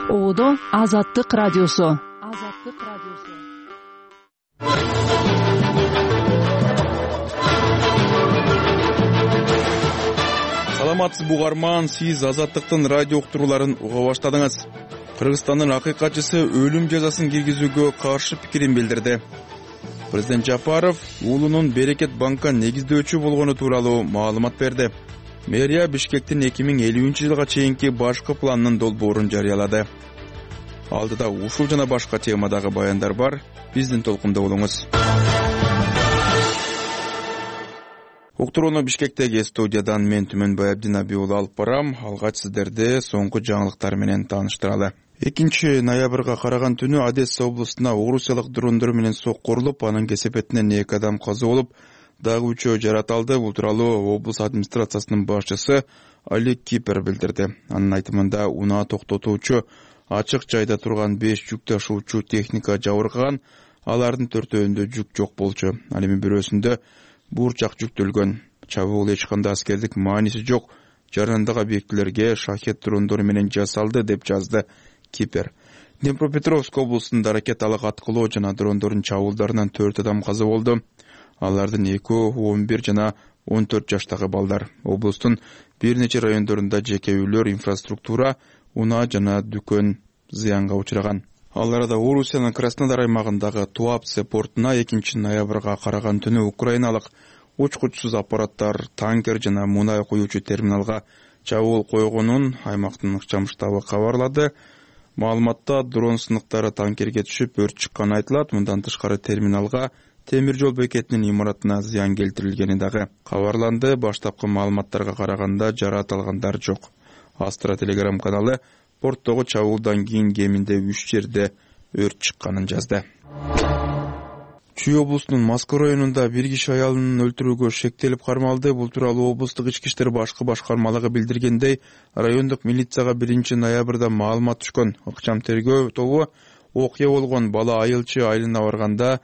Оодо Азаттык радиосу. Саламатсыз бугарман, сиз Азаттыктын радио уктурууларын уга баштадыңыз. Кыргызстандын акыйкатчысы өлүм жазасын киргизүүгө каршы пикирин билдирди. Президент Жапаров уулунун Берекет банка негиздөөчү болгону тууралуу маалымат берди. Мэрия Бишкектин 2050-жылга чейинки башкы планынын долбоорун жарыялады. Алдыда ушул жана башка темадагы баяндар бар. Биздин толкунда болуңуз. Уктурууну Бишкектеги студиядан мен Түмөнбай Абдинаби уулу алып барам. Алгач сиздерди соңку жаңылыктар менен тааныштыралы. 2 ноябрга караган түнү Одесса областына орусиялык дрондор менен соккурулуп, анын кесепетинен 2 адам каза болуп, дагы 3 жараталды. Бул тууралуу облус администрациясынын башчысы Олег Кипер билдирди. Анын айтымында унаа токтотуучу ачык жайда турган 5 жүк ташуучу техника жабыркаган, алардын 4-өүндө жүк жок болчу. Ал эми бирөөсүндө буурчак жүктөлгөн. Чабуул эч кандай аскердик мааниси жок, жарандагы объектилерге шахет дрондору менен жасалды, деп жазды Кипер. Днепропетровск облусунда ракеталык аткылоо жана дрондордун чабуулдарынан 4 адам каза болду. Алардын 2 11 жана 14 жаштагы балдар. Облустун бир нече райондорунда жеке үйлөр, инфраструктура, унаа жана дүкөн зыянга учураган. Ал арада Орусиянын Краснодар аймагындагы Туапсе портуна 2 ноябрга караган түнү украиналык учкучсуз аппараттар танкер жана мунай куюучу терминалга чабуул койгонун аймактын ыкчам штабы кабарлады. Маалыматта дрон сыныктары танкерге түшүп өрт чыкканы айтылат. Мындан тышкары терминалга, темир жол бекетинин имаратына зыян келтирилгени дагы кабарланды. Баштапкы маалыматтарга караганда жараат алгандар жок. Астра телеграм каналы порттогу чабуулдан кийин кеминде 3 жерде өрт чыкканын жазды. Чүй облусунун Москва районунда бир киши аялын өлтүрүүгө шектелип кармалды. Бул тууралуу облустук ички иштер башкы башкармалыгы билдиргендей, райондук милицияга 1 ноябрда маалымат түшкөн. Ыкчам тергөө тобу окуя болгон бала айылчы айылына барганда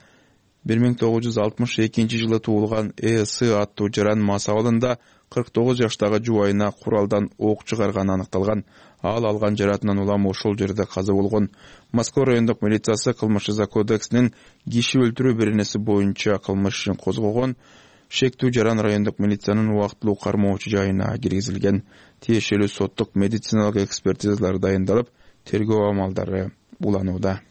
1962 жылы туулган С аттуу жаран мас абалында 49 жаштагы жубайына куралдан ок чыгарганы аныкталган. Ал алган жаратынан улам ошол жерде каза болгон. Москва райондук милициясы кылмыш жаза кодексинин киши өлтүрүү беренеси боюнча кылмыш ишин козгогон. Шектүү жаран райондук милициянын убактылуу кармоочу жайына киргизилген. Тиешелүү соттук медициналык экспертизалар дайындалып, тергөө амалдары уланууда.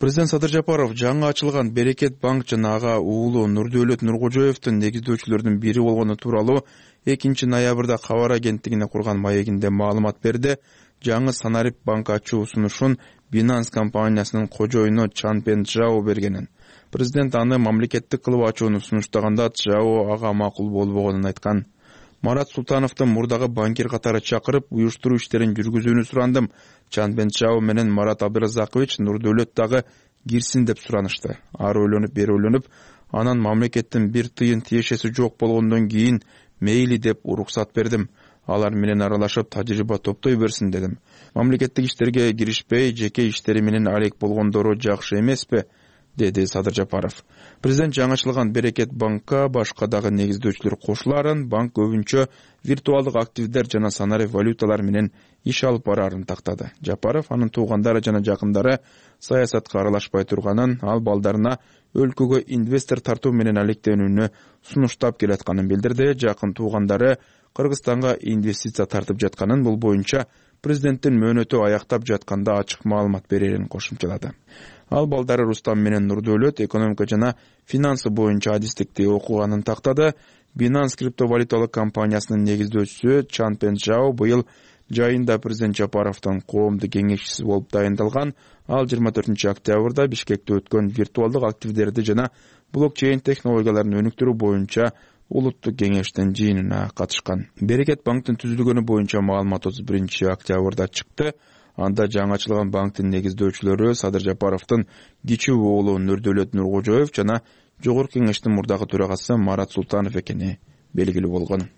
Президент Садыр Жапаров жаңы ачылган Берекет банк жана ага уулу Нурдөөлөт Нуркожоевдун негиздөөчүлөрдүн бири болгону тууралуу 2 ноябрда кабар агенттигине курган маегинде маалымат берди. Жаңы Санарип банк ачуу сунушун Binance компаниясынын кожоюну Чанпен Чжао бергенин. Президент аны мамлекеттик кылып ачууну сунуштаганда Чжао ага макул болбогонун айткан. Марат Султановду мурдагы банкир катары чакырып, уюштуруу иштерин жүргүзүүнү сурандым. Чанпен Чжао менен Марат Абдыразакович Нурдөөлөт дагы кирсин деп суранышты. Ар ойлонуп, бери ойлонуп, анан мамлекеттин бир тыйын тиешеси жок болгондон кийин мейли деп уруксат бердим. Алар менен аралашып тажрыйба топтой берсин дедим. Мамлекеттик иштерге киришпей, жеке иштери менен алек болгондору жакшы эмеспи, деди Садыр Жапаров. Президент жаңычылган Берекет банкка башка дагы негиздөөчүлөр кошуларын, банк көбүнчө виртуалдык активдер жана санарип валюталар менен иш алып барарын тактады. Жапаров анын туугандары жана жакындары саясатка аралашпай турганын, ал балдарына өлкөгө инвестор тартуу менен алектенүүнү сунуштап келатканын билдирди. Жакын туугандары Кыргызстанга инвестиция тартып жатканын, бул боюнча президенттин мөөнөтү аяктап жатканда ачык маалымат берерин кошумчалады. Ал балдары Рустам менен Нурдөөлөт экономика жана финансы боюнча адистикти окуганын тактады. Binance криптовалюталык компаниясынын негиздөөчүсү Чанпен Чжао быйыл жайында президент Жапаровдун коомдук кеңешчиси болуп дайындалган. Ал 24 октябрда Бишкекте өткөн виртуалдык активдерди жана блокчейн технологияларын өнүктүрүү боюнча улуттук кеңештин жыйынына катышкан. Берекет банктын түзүлгөнү боюнча маалымат 31 октябрда чыкты. Анда жаңы ачылган банктын негиздөөчүлөрү Садыр Жапаровдун кичүү уулу Нурдөөлөт Нуркожоев жана жогорку кеңештин мурдагы төрагасы Марат Султанов экени белгилүү болгон.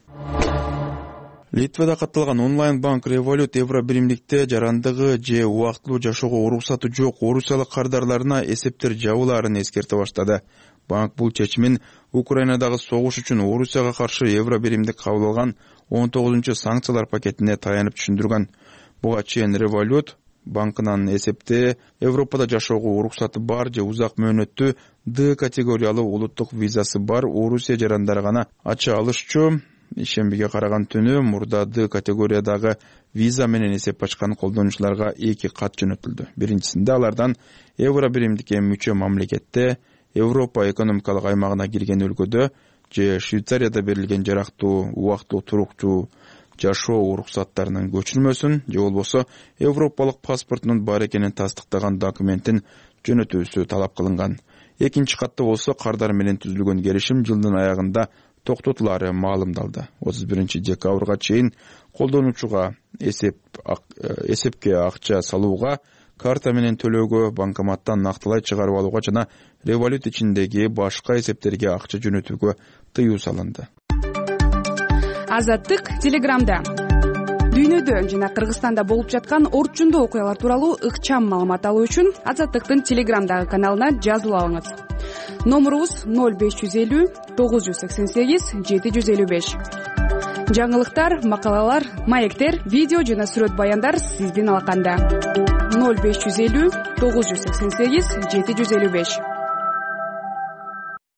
Литвада катталган онлайн банк Revolut евро биримдикте жарандыгы же убактылуу жашоого уруксаты жок орусиялык кардарларына эсептер жабылаарын эскерте баштады. Банк бул чечимин Украинадагы согуш үчүн Орусияга каршы евро биримдик кабыл алган 19-санкциялар пакетине таянып түшүндүргөн. Буга чейин Revolut банкынын эсепте Европада жашоого уруксаты бар же узак мөөнөттүү D категориялуу улуттук визасы бар Орусия жарандары гана ача алышчу. Ишембиге караган түнү мурда D категориядагы виза менен эсеп ачкан колдонуучуларга 2 кат жөнөтүлдү. Биринчисинде алардан евро биримдикке мүчө мамлекетте, Европа экономикалык аймагына кирген өлкөдө же Швейцарияда берилген жарактуу убактылуу турукчу жашоо уруксаттарынын көчүрмөсүн же болбосо европалык паспортунун бар экенин тастыктаган документин жөнөтүүсү талап кылынган. Экинчи катта болсо кардар менен түзүлгөн келишим жылдын аягында токтотулары маалымдалды. 31 декабрга чейин колдонуучуга эсепке акча салууга, карта менен төлөөгө, банкоматтан нактылай чыгарып алууга жана Revolut ичиндеги башка эсептерге акча жөнөтүүгө тыюу салынды. Азаттык Телеграмда. Дүйнөдө жана Кыргызстанда болуп жаткан орчундуу окуялар тууралуу ыкчам маалымат алуу үчүн Азаттыктын Телеграмдагы каналына жазылыңыз. Номурубуз 0550 988 755. Жаңылыктар, макалалар, маектер, видео жана сүрөт баяндар сиздин алаканда. 0550 988 755.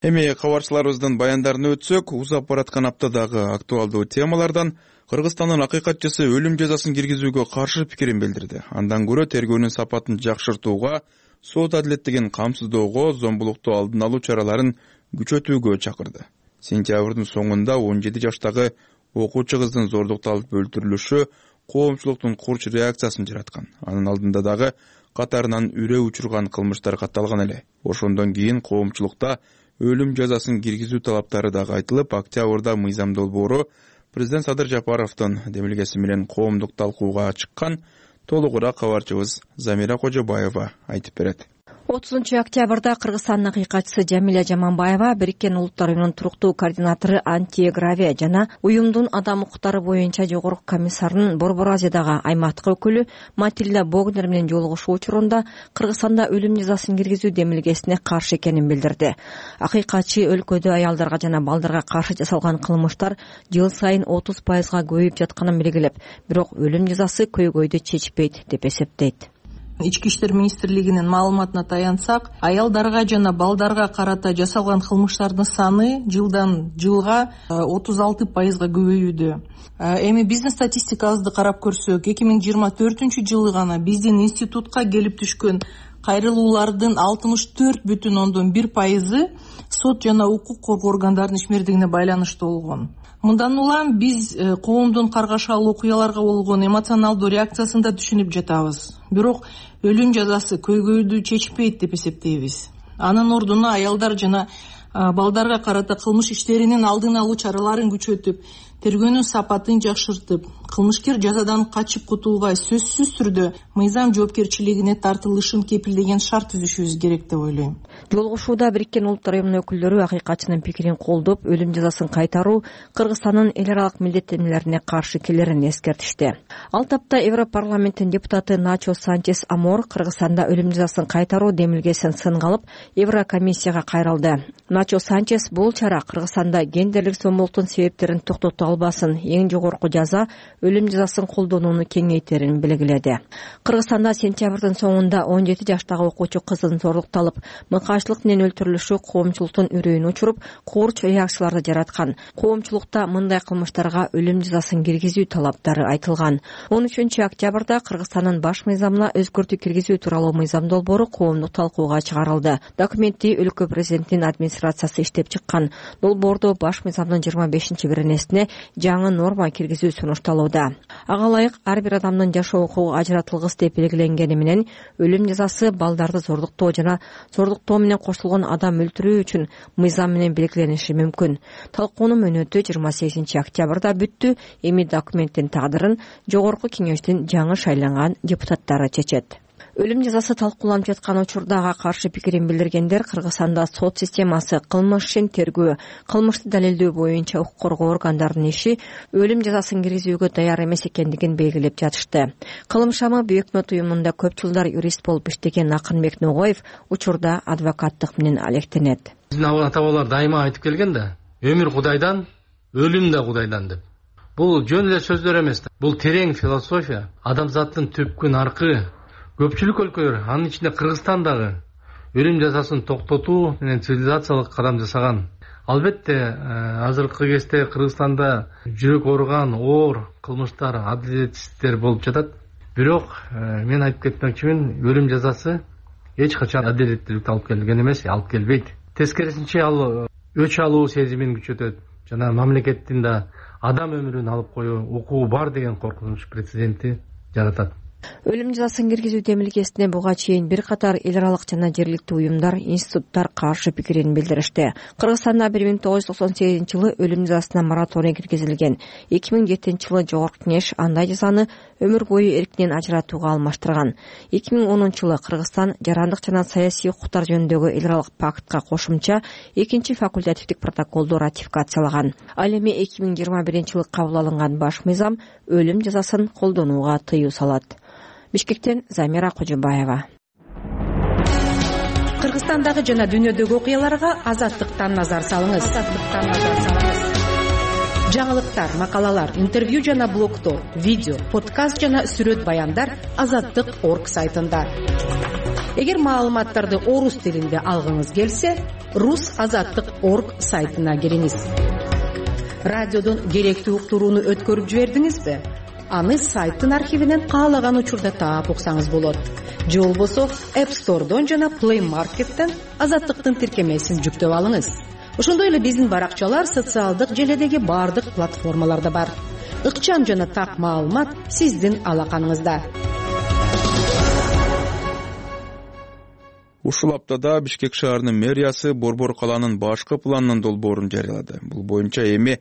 Эми кабарчыларыбыздын баяндарын өтсөк, узап бараткан аптадагы актуалдуу темалардан Кыргызстандын акыйкатчысы өлүм жазасын киргизүүгө каршы пикирин билдирди. Андан көрө тергөөнүн сапатын жакшыртууга, сот адилеттигин камсыздоого, зомбулукту алдын алуу чараларын күчөтүүгө чакырды. Сентябрдын соңунда 17 жаштагы окуучу кыздын зордукталып өлтүрүлүшү коомчулуктун курч реакциясын жараткан. Анын алдында дагы катарынан үрөө учурган кылмыштар катталган эле. Ошондон кийин коомчулукта өлүм жазасын киргизүү талаптары дагы айтылып, октябрда мыйзам долбоору президент Садыр Жапаровдун демилгеси менен коомдук талкууга чыккан. Толугураак кабарчыбыз Замира Кожобаева айтып берет. 30 октябрда Кыргызстандын акыйкатчысы Жамиля Жаманбаева Бириккен Улуттар уюмунун туруктуу координатору Антиагравия жана уюмдун адам укуктары боюнча жогорку комиссарынын Борбор Азиядагы аймактык өкүлү Матильда Богнер менен жолугушуу учурунда Кыргызстанда өлүм жазасын киргизүү демилгесине каршы экенин билдирди. Акыйкатчы өлкөдө аялдарга жана балдарга каршы жасалган кылмыштар жыл сайын 30%га көбөйүп жатканын белгилеп, бирок өлүм жазасы көйгөйдү чечпейт деп эсептейт. Ички иштер министрлигинин маалыматына таянсак, аялдарга жана балдарга карата жасалган кылмыштардын саны жылдан жылга 36%га көбөйүүдө. Эми биздин статистикабызды карап көрсөк, 2024 гана биздин институтка келип түшкөн кайрылуулардын 64,1% сот жана укук коргоо органдарынын ишмердигине байланыштуу болгон. Мындан улам биз коомдун каргашалуу окуяларга болгон эмоционалдуу реакциясын да түшүнүп жатабыз. Бирок өлүм жазасы көйгөйдү чечпейт деп эсептейбиз. Анын ордуна аялдар жана балдарга карата кылмыш иштеринин алдын алуу чараларын күчөтүп, тергөөнүн сапатын жакшыртып, кылмышкер жазадан качып кутулбай сөзсүз түрдө мыйзам жоопкерчилигине тартылышын кепилдеген шарт түзүшүбүз керек деп ойлойм. Жолугушууда Бириккен Улуттар уюмунун өкүлдөрү акыйкатчынын пикирин колдоп, өлүм жазасын кайтаруу Кыргызстандын эл аралык милдеттенмелерине каршы келерин эскертишти. Ал тапта Европарламенттин депутаты Начо Санчес Амор Кыргызстанда өлүм жазасын кайтаруу демилгесин сынга алып, Еврокомиссияга кайрылды. Начо Санчес бул чара Кыргызстанда гендерлик зомбулуктун себептерин токтото албасын, эң жогорку жаза өлүм жазасын колдонууну кеңейтерин белгиледи. Кыргызстанда сентябрдын соңунда 17 жаштагы окуучу кыздын зордукталып, мыкаачылык менен өлтүрүлүшү коомчулуктун үрөйүн учуруп, курч реакцияларды жараткан. Коомчулукта мындай кылмыштарга өлүм жазасын киргизүү талаптары айтылган. 13 октябрда Кыргызстандын баш мыйзамына өзгөртүү киргизүү тууралуу мыйзам долбоору коомдук талкууга чыгарылды. Документти өлкө президентинин администрациясы иштеп чыккан. Долбоордо баш мыйзамдын 25-беренесине жаңы норма киргизүү сунушталууда. Ага ылайык ар бир адамдын жашоо укугу ажыратылгыс деп белгиленгени менен өлүм жазасы балдарды зордуктоо жана зордуктоо менен кошулгон адам өлтүрүү үчүн мыйзам менен белгилениши мүмкүн. Талкуунун мөөнөтү 28 октябрда бүттү. Эми документтин тагдырын жогорку кеңештин жаңы шайланган депутаттары чечет. Өлүм жазасы талкууланып жаткан учурда ага каршы пикирин билдиргендер Кыргызстанда сот системасы, кылмыш ишин тергөө, кылмышты далилдөө боюнча укук коргоо органдарынын иши өлүм жазасын киргизүүгө даяр эмес экендигин белгилеп жатышты. Кылымшамы Büyük Millet уюмунда көп жылдар юрист болуп иштеген Акынбек Ногоев учурда адвокаттык менен алектенет. Биздин ата-бабалар дайыма айтып келген да, өмүр Кудайдан, өлүм да Кудайдан деп. Бул жөн эле сөздөр эмес, бул терең философия. Адамзаттын түпкүн аркы. Көпчүлүк өлкөлөр, анын ичинде Кыргызстан дагы өлүм жазасын токтотуу менен цивилизациялык кадам жасаган. Албетте, азыркы кезде Кыргызстанда жүрөк ооруган оор кылмыштар, адилетсиздиктер болуп жатат. Бирок мен айтып кетмекчимин, өлүм жазасы эч качан адилеттүүлүктү алып келген эмес, алып келбейт. Тескерисинче ал өч алуу сезимин күчөтөт жана мамлекеттин да адам өмүрүн алып коюу укугу бар деген коркунуч прецедентти жаратат. Өлүм жазасын киргизүү демилгесине буга чейин бир катар эл аралык жана жергиликтүү уюмдар, институттар каршы пикирин билдиришти. Кыргызстанда 1998-жылы өлүм жазасына мораторий киргизилген. 2007 жылы Жогорку Кеңеш андай жазаны өмүр бою эркинен ажыратууга алмаштырган. 2010-жылы Кыргызстан жарандык жана саясий укуктар жөнүндөгү эл аралык пактка кошумча 2-чи факультативдик протоколду ратификациялаган. Ал эми 2021-жылы кабыл алынган баш мыйзам өлүм жазасын колдонууга тыюу салат. Бишкектен Замира Кожобаева. Кыргызстандагы жана дүйнөдөгү окуяларга азаттыктан назар салыңыз. Жаңылыктар, макалалар, интервью жана блогдор, видео, подкаст жана сүрөт баяндар azattik.org сайтында. Эгер маалыматтарды орус тилинде алгыңыз келсе, rus.azattik.org сайтына кириңиз. Радиодон керектүү уктурууну өткөрүп жибердиңизби? Аны сайттын архивинен каалаган учурда таап уксаңыз болот. Же болбосо App Store'дон жана Play Market'тен Азаттыктын тиркемесин жүктөп алыңыз. Ошондой эле биздин баракчалар социалдык желедеги бардык платформаларда бар. Ыкчам жана так маалымат сиздин алаканыңызда. Ушул аптада Бишкек шаарынын мэриясы Борбор калаанын башкы планынын долбоорун жарыялады. Бул боюнча эми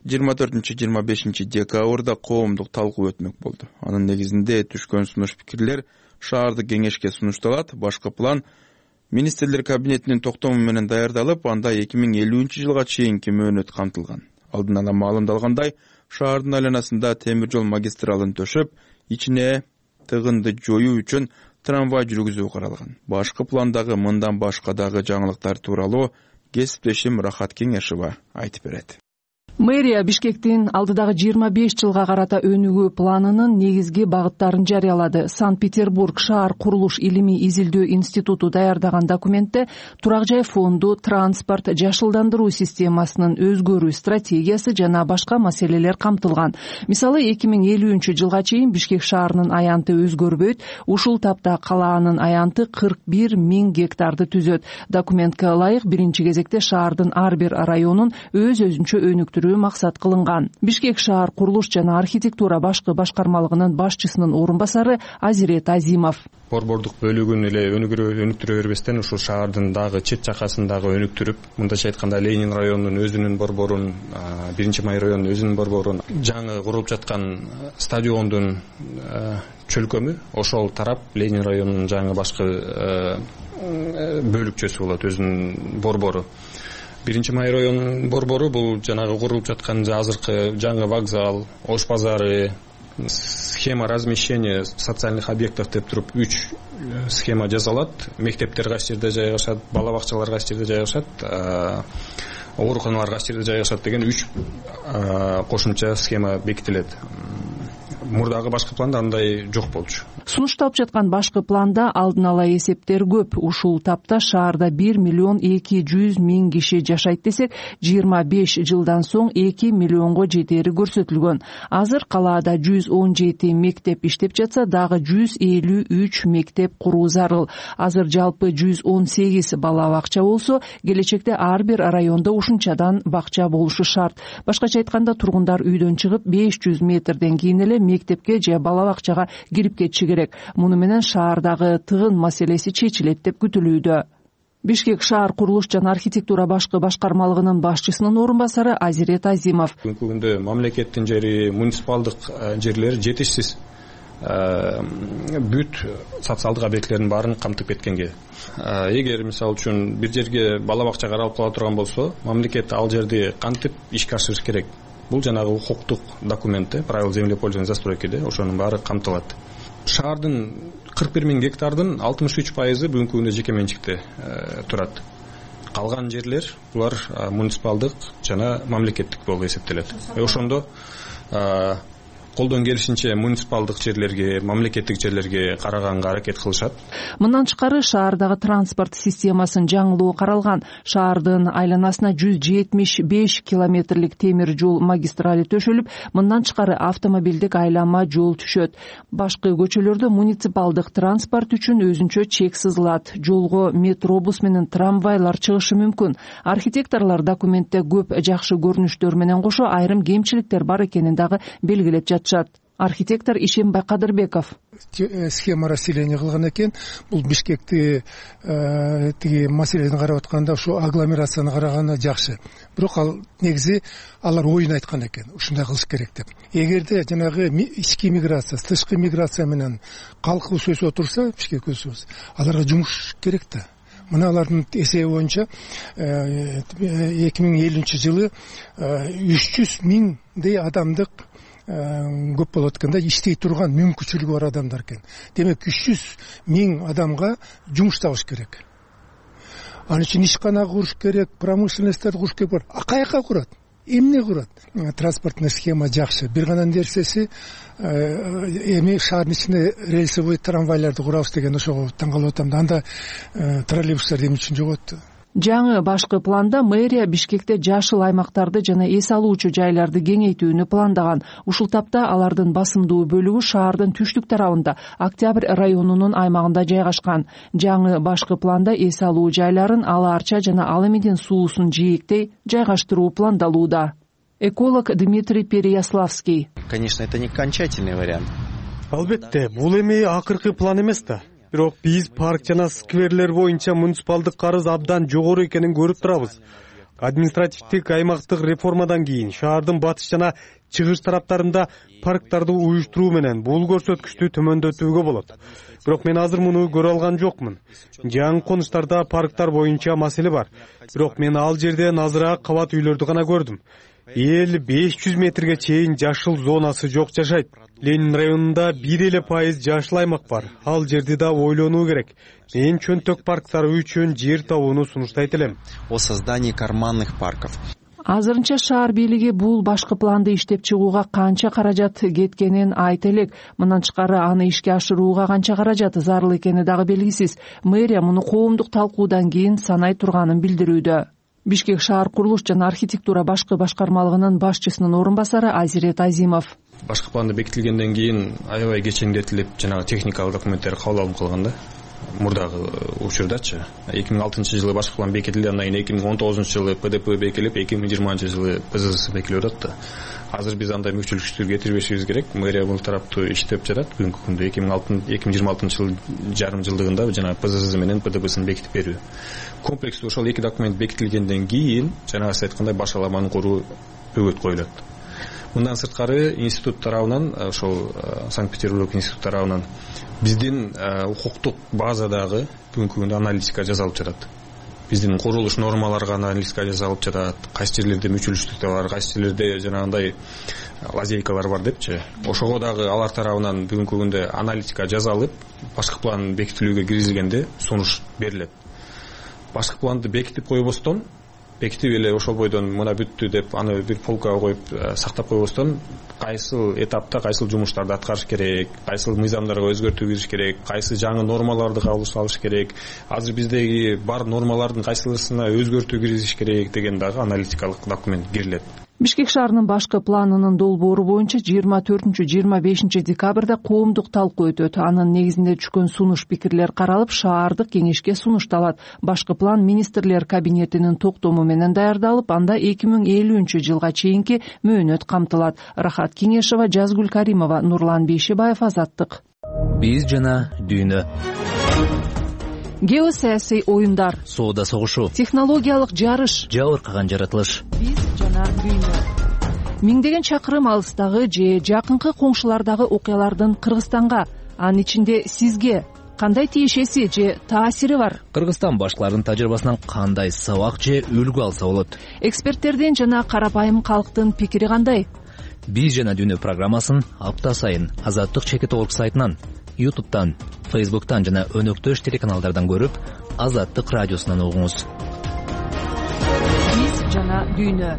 24-25 декабрда коомдук талкуу өтмөк болду. Анын негизинде түшкөн сунуш пикирлер шаардык кеңешке сунушталат. Башкы план министрлер кабинетинин токтому менен даярдалып, анда 2050-жылга чейинки мөөнөт камтылган. Алдын ала маалымдалгандай, шаардын айланасында темир жол магистралын төшөп, ичине тыгынды жоюу үчүн трамвай жүргүзүү каралган. Башкы пландагы мындан башка дагы жаңылыктар тууралуу кесиптешим Рахат Кеңешова айтып берет. Мэрия Бишкектин алдыдагы 25 жылга карата өнүгүү планынын негизги багыттарын жарыялады. Санкт-Петербург шаар курулуш илимий изилдөө институту даярдаган документте турак жай фонду, транспорт, жашылдандыруу системасынын өзгөрүү стратегиясы жана башка маселелер камтылган. Мисалы 2050-жылга чейин Бишкек шаарынын аянты өзгөрбөйт, ушул тапта калаанын аянты 41 000 гектарды түзөт. Документке ылайык биринчи кезекте шаардын ар бир районун өз-өзүнчө өнүктүрүү максат кылынган. Бишкек шаар курулуш жана архитектура башкы башкармалыгынын башчысынын орун басары Азирет Азимов. Борбордук бөлүгүн эле өнүктүрө бербестен ушул шаардын дагы чет жакасын дагы өнүктүрүп, мындайча айтканда Ленин районунун өзүнүн борборун, 1-Май районунун өзүнүн борборун, жаңы курулуп жаткан стадиондун чөлкөмү ошол тарап Ленин районунун жаңы башкы бөлүкчөсү болот, өзүнүн борбору. 1-Май районунун борбору бул жанагы курулуп жаткан азыркы жаңы вокзал, Ош базары, схема размещения социальных объектов деп туруп 3 схема жасалат. Мектептер кайсы жерде жайгашат, бала бакчалар кайсы жерде жайгашат, ооруканалар кайсы жерде жайгашат деген 3 кошумча схема бекитилет. Мурдагы башкы планда андай жок болчу. Сунушталып жаткан башкы планда алдын ала эсептер көп. Ушул тапта шаарда 1 200 000 киши жашайт десек, 25 жылдан соң 2 миллионго жетери көрсөтүлгөн. Азыр калаада 117 мектеп иштеп жатса, дагы 153 мектеп куруу зарыл. Азыр жалпы 118 бала бакча болсо, келечекте ар бир райондо ушунчадан бакча болушу шарт. Башкача айтканда, тургундар үйдөн чыгып 500 метрден кийин эле мектепке же бала бакчага кирип кетиши керек. Муну менен шаардагы тыгын маселеси чечилет деп күтүлүүдө. Бишкек шаар курулуш жана архитектура башкы башкармалыгынын башчысынын орун басары Азирет Азимов. Бүгүнкү күндө мамлекеттин жери, муниципалдык жерлер жетишсиз. Бүт социалдык объектилердин баарын камтып кеткенге. Эгер мисалы үчүн бир жерге бала бакча каралып кала турган болсо, мамлекет ал жерди кантип ишке ашырыш керек? Бул жанагы укуктук документте, правила землепользования застройкиде ошонун баары камтылат. Шаардын 41 000 гектардын 63% бүгүнкү күндө жеке менчикте турат. Калган жерлер булар муниципалдык жана мамлекеттик болуп эсептелет. Ошондо колдон келишинче муниципалдык жерлерге, мамлекеттик жерлерге караганга аракет кылышат. Мындан тышкары шаардагы транспорт системасын жаңылоо каралган. Шаардын айланасына 175 километрлик темир жол магистрали төшөлүп, мындан тышкары автомобилдик айланма жол түшөт. Башкы көчөлөрдө муниципалдык транспорт үчүн өзүнчө чек сызылат. Жолго метробус менен трамвайлар чыгышы мүмкүн. Архитекторлор документте көп жакшы көрүнүштөр менен кошо айрым кемчиликтер бар экенин дагы белгилеп жатышат. Архитектор Ишембай Кадырбеков. Схема расселения кылган экен. Бул Бишкекти тиги маселени карап атканда ушу агломерацияны караганда жакшы. Бирок ал негизи алар оюн айткан экен. Ушундай кылыш керек деп. Эгерде жанагы ички миграция, тышкы миграция менен калкыбыз өсүп турса, Бишкек өсөбүз. Аларга жумуш керек да. Мына алардын эсеби боюнча 2050-жылы 300 миңдей адамдык көп болот экен да, иштей турган мүмкүнчүлүгү бар адамдар экен. Демек 300 миң адамга жумуш табыш керек. Анын үчүн ишкана куруш керек, промышленностьтарды куруш керек. Каяка курат? Эмне курат? Транспортный схема жакшы. Бир гана нерсеси эми шаардын ичинде рельсовый трамвайларды курабыз деген ошого таң калып атам да. Анда троллейбустар эмне үчүн жогот? Жаңы башкы планда мэрия Бишкекте жашыл аймактарды жана эс алуучу жайларды кеңейтүүнү пландаган. Ушул тапта алардын басымдуу бөлүгү шаардын түштүк тарабында, Октябрь районунун аймагында жайгашкан. Жаңы башкы планда эс алуу жайларын Ала Арча жана Ал Эмидин суусун жээктей жайгаштыруу пландалууда. Эколог Дмитрий Переяславский. Конечно, это не окончательный вариант. Албетте, бул эми акыркы план эмес да. Бирок биз парк жана скверлер боюнча муниципалдык карыз абдан жогору экенин көрүп турабыз. Административдик аймактык реформадан кийин шаардын батыш жана чыгыш тараптарында парктарды уюштуруу менен бул көрсөткүчтү төмөндөтүүгө болот. Бирок мен азыр муну көрө алган жокмун. Жаңы конуштарда парктар боюнча маселе бар. Бирок мен ал жерде азыраак кабат үйлөрдү гана көрдүм. 500 метрге чейин жашыл зонасы жок жашайт. Ленин районунда 1% жашыл аймак бар. Ал жерди да ойлонуу керек. Мен чөнтөк парктары үчүн жер табууну сунуштайт элем. О создании карманных парков. Азырынча шаар бийлиги бул башкы планды иштеп чыгууга канча каражат кеткенин айта элек. Мындан тышкары аны ишке ашырууга канча каражат зарыл экени дагы белгисиз. Мэрия муну коомдук талкуудан кийин санай турганын билдирүүдө. Бишкек шаар курулуш жана архитектура башкы башкармалыгынын башчысынын орун басары Азирет Азимов. Башкы планды бекитилгенден кийин аябай кечеңдетилип, жанагы техникалык документтер кабыл алынып калган да. Мурдагы учурдачы 2006-жылы башкы план бекитилди, андан кийин 2019-жылы ПДП бекитилип, 2020-жылы ПЗС бекитилип атат да. Азыр биз андай мүчөлүктөр кетирбешибиз керек. Мэрия бул тараптуу иштеп жатат. Бүгүнкү күндө 2026-жылы жарым жылдыгында жана ПЗС менен ПДПсын бекитип берүү. Комплекстүү ошол эки документ бекитилгенден кийин жанагы сиз айткандай башаламаны куруу бөгөт коюлат. Мындан сырткары институт тарабынан, ошол Санкт-Петербург институт тарабынан биздин укуктук базадагы бүгүнкү күндө аналитика жасалып жатат. Биздин курулуш нормаларга аналитика жасалып жатат. Кайсы жерлерде мүчөлүштүктөр бар, кайсы жерлерде жанагындай лазейкалар бар депчи. Ошого дагы алар тарабынан бүгүнкү күндө аналитика жасалып, башкы план бекитилүүгө киргизилгенде сунуш берилет. Башкы планды бекитип койбостон, бекитип эле ошол бойдон мына бүттү деп аны бир полкага коюп сактап койбостон, кайсыл этапта кайсыл жумуштарды аткарыш керек, кайсыл мыйзамдарга өзгөртүү кириш керек, кайсы жаңы нормаларды кабыл алыш керек, азыр биздеги бар нормалардын кайсылысына өзгөртүү киргизиш керек деген дагы аналитикалык документ кирилет. Бишкек шаарынын башкы планынын долбоору боюнча 24-25 декабрда коомдук талкуу өтөт. Анын негизинде түшкөн сунуш пикирлер каралып, шаардык кеңешке сунушталат. Башкы план министрлер кабинетинин токтому менен даярдалып, анда 2050-жылга чейинки мөөнөт камтылат. Рахат Кеңешова, Жазгүл Каримова, Нурлан Бейшебаев, Азаттык. Биз жана дүйнө. Геосаясий оюндар, соода согушу, технологиялык жарыш, жабыркаган жаратылыш. Биз жана дүйнө. Миңдеген чакырым алыстагы же жакынкы коңшулардагы окуялардын Кыргызстанга, анын ичинде сизге кандай тиешеси же таасири бар? Кыргызстан башкалардын тажрыйбасынан кандай сабак же үлгү алса болот? Эксперттердин жана карапайым калктын пикири кандай? Биз жана дүйнө программасын апта сайын Азаттык ЧК сайтынан, YouTube'дан, Facebook'tan жана өнөктөш телеканалдардан көрүп, Азаттык радиосунан угуңуз. Биз жана дүйнө.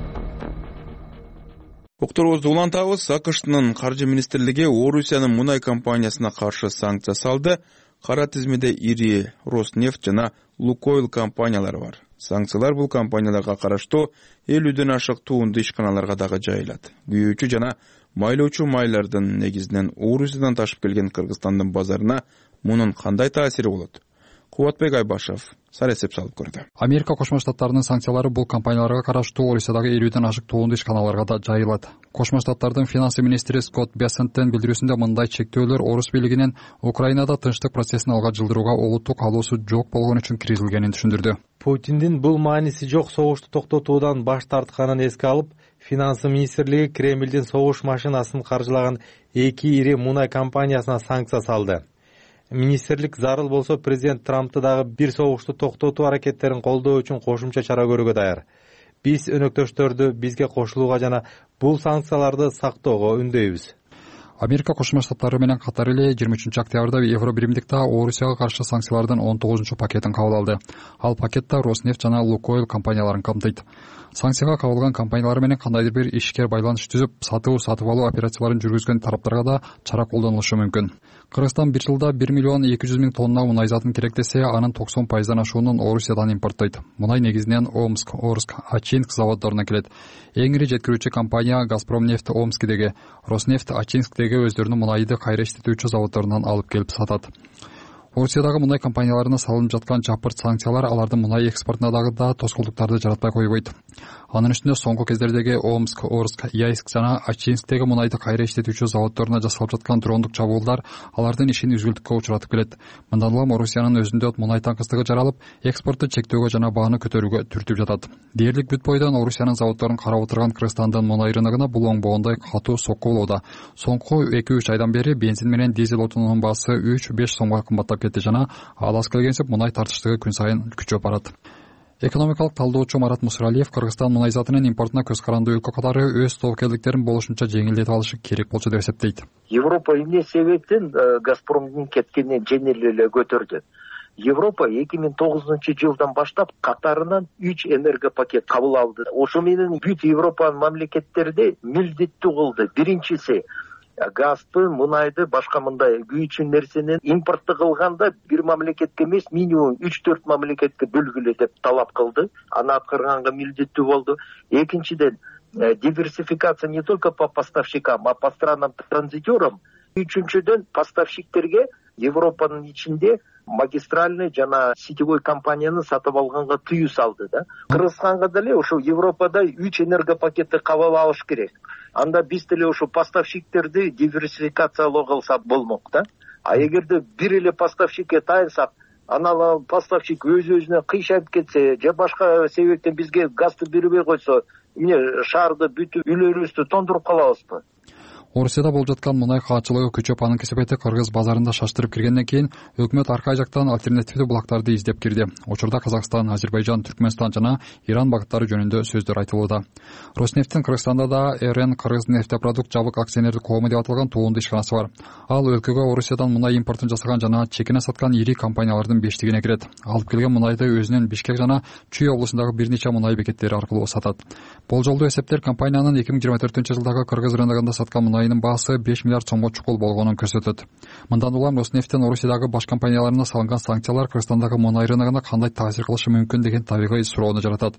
Окторубузду улантабыз. АКШнын каржы министрлиги Орусиянын мунай компаниясына каршы санкция салды. Кара тизмеде ири Роснефть жана Лукойл компаниялары бар. Санкциялар бул компанияларга караштуу 50ден ашык туунду ишканаларга дагы жайылат. Күйүүчү жана майлоочу майлардын негизинен Орусиядан ташып келген Кыргызстандын базарына мунун кандай таасири болот? Кубатбек Айбашев саресеп салып көрдү. Америка Кошмо Штаттарынын санкциялары бул компанияларга караштуу Орусиядагы 50ден ашык туунду ишканаларга да жайылат. Кошмо Штаттардын финансы министри Скотт Бессенттин билдирүүсүндө мындай чектөөлөр Орус бийлигинин Украинада тынчтык процессин алга жылдырууга олуттук каалоосу жок болгон үчүн киргизилгенин түшүндүрдү. Путиндин бул мааниси жок согушту токтотуудан баш тартканын эске алып, финансы министрлиги Кремлдин согуш машинасын каржылаган 2 ири мунай компаниясына санкция салды. Министрлик зарыл болсо президент Трампты дагы бир согушту токтотуу аракеттерин колдоо үчүн кошумча чара көрүүгө даяр. Биз өнөктөштөрдү бизге кошулууга жана бул санкцияларды сактоого үндөйбүз. Америка Кошмо Штаттары менен катар эле 23-октябрда Евробиримдик да Орусияга каршы санкциялардын 19-пакетин кабыл алды. Ал пакетте Роснефть жана Лукойл компанияларын камтыйт. Санкцияга кабылган компаниялар менен кандайдыр бир ишкер байланыш түзүп, сатып алуу операцияларын жүргүзгөн тараптарга да чара колдонулушу мүмкүн. Кыргызстан бир жылда 1 миллион 200 миң тонна мунай затын керектесе, анын 90% ашуунун Орусиядан импорттойт. Мунай негизинен Омск, Орск, Ачинск заводдорунан келет. Эң ири жеткирүүчү компания Газпромнефть Омскидеги, Роснефть Ачинсктеги өздөрүнүн мунайды кайра иштетүүчү заводдорунан алып келип сатат. Орусиядагы мунай компанияларына салынып жаткан жапырт санкциялар алардын мунай экспортуна дагы тоскоолдуктарды жаратпай койбойт. Анын үстүнө соңку кездердеги Омск, Орск, Яйск жана Ачинсктеги мунайды кайра иштетүүчү заводдоруна жасалып жаткан дрондук чабуулдар алардын ишин үзгүлтүккө учуратып келет. Мындан улам Орусиянын өзүндө мунай таңкыстыгы жаралып, экспортту чектөөгө жана бааны көтөрүүгө түртүп жатат. Дээрлик бүт бойдон Орусиянын заводдорун карап отурган Кыргызстандын мунай рыногуна бул оңбогондой катуу сокку болууда. Соңку 2-3 айдан бери бензин менен дизель отунунун баасы 3-5 сомго кымбаттап кетти жана алыс келгенсип мунай тартыштыгы күн сайын күчөп барат. Экономикалык талдоочу Марат Мусралиев Кыргызстан мунай затынын импортуна көз каранды өлкө катары өз тобокелдиктерин болушунча жеңилдетип алышы керек болчу деп эсептейт. Европа эмне себептен Газпромдун кеткенин жеңил эле көтөрдү. Европа 2009-жылдан баштап катарынан 3 энергопакет кабыл алды. Ошо менен бүт Европанын мамлекеттерде милдеттүү кылды. Биринчиси газды, мунайды, башка мындай күйүүчү нерсени импортты кылганда бир мамлекетке эмес, минимум 3-4 мамлекетке бөлгүлө деп талап кылды. Аны аткарганга милдеттүү болду. Экинчиден, диверсификация не только по поставщикам, а по странам транзитерам. Үчүнчүдөн, поставщиктерге Европанын ичинде магистральный жана сетевой компанияны сатып алганга тыюу салды да. Кыргызстанга деле ошо Европада 3 энергопакетти кабыл алыш керек. Анда биз деле ошо поставщиктерди диверсификациялоо кылса болмок да. А эгерде бир эле поставщикке таянсак, анан поставщик өз-өзүнө кыйшайып кетсе, же башка себептен бизге газды бербей койсо, эмне шаарды бүтүп үйлөрүбүздү тондуруп калабызбы? Орусияда болуп жаткан мунай каачылыгы күчөп, анын кесепети Кыргыз базарында шаштырып киргенден кийин өкмөт аркай жактан альтернативдүү булактарды издеп кирди. Учурда Казакстан, Азербайжан, Түркмөнстан жана Иран багыттары жөнүндө сөздөр айтылууда. Роснефттин Кыргызстанда да РН Кыргызнефтепродукт жабык акционердик коому деп аталган туунду ишканасы бар. Ал өлкөгө Орусиядан мунай импортун жасаган жана чекине саткан ири компаниялардын бештигине кирет. Алып келген мунайды өзүнүн Бишкек жана Чүй облусундагы бир нече мунай бекеттери аркылуу сатат. Болжолдуу эсептер компаниянын 2024-жылдагы Кыргыз рыногунда саткан мунайынын баасы 5 миллиард сомго чукул болгонун көрсөтөт. Мындан улам Роснефттин Орусиядагы баш компанияларына салынган санкциялар Кыргызстандагы мунай рыногуна кандай таасир кылышы мүмкүн деген табигый суроону жаратат.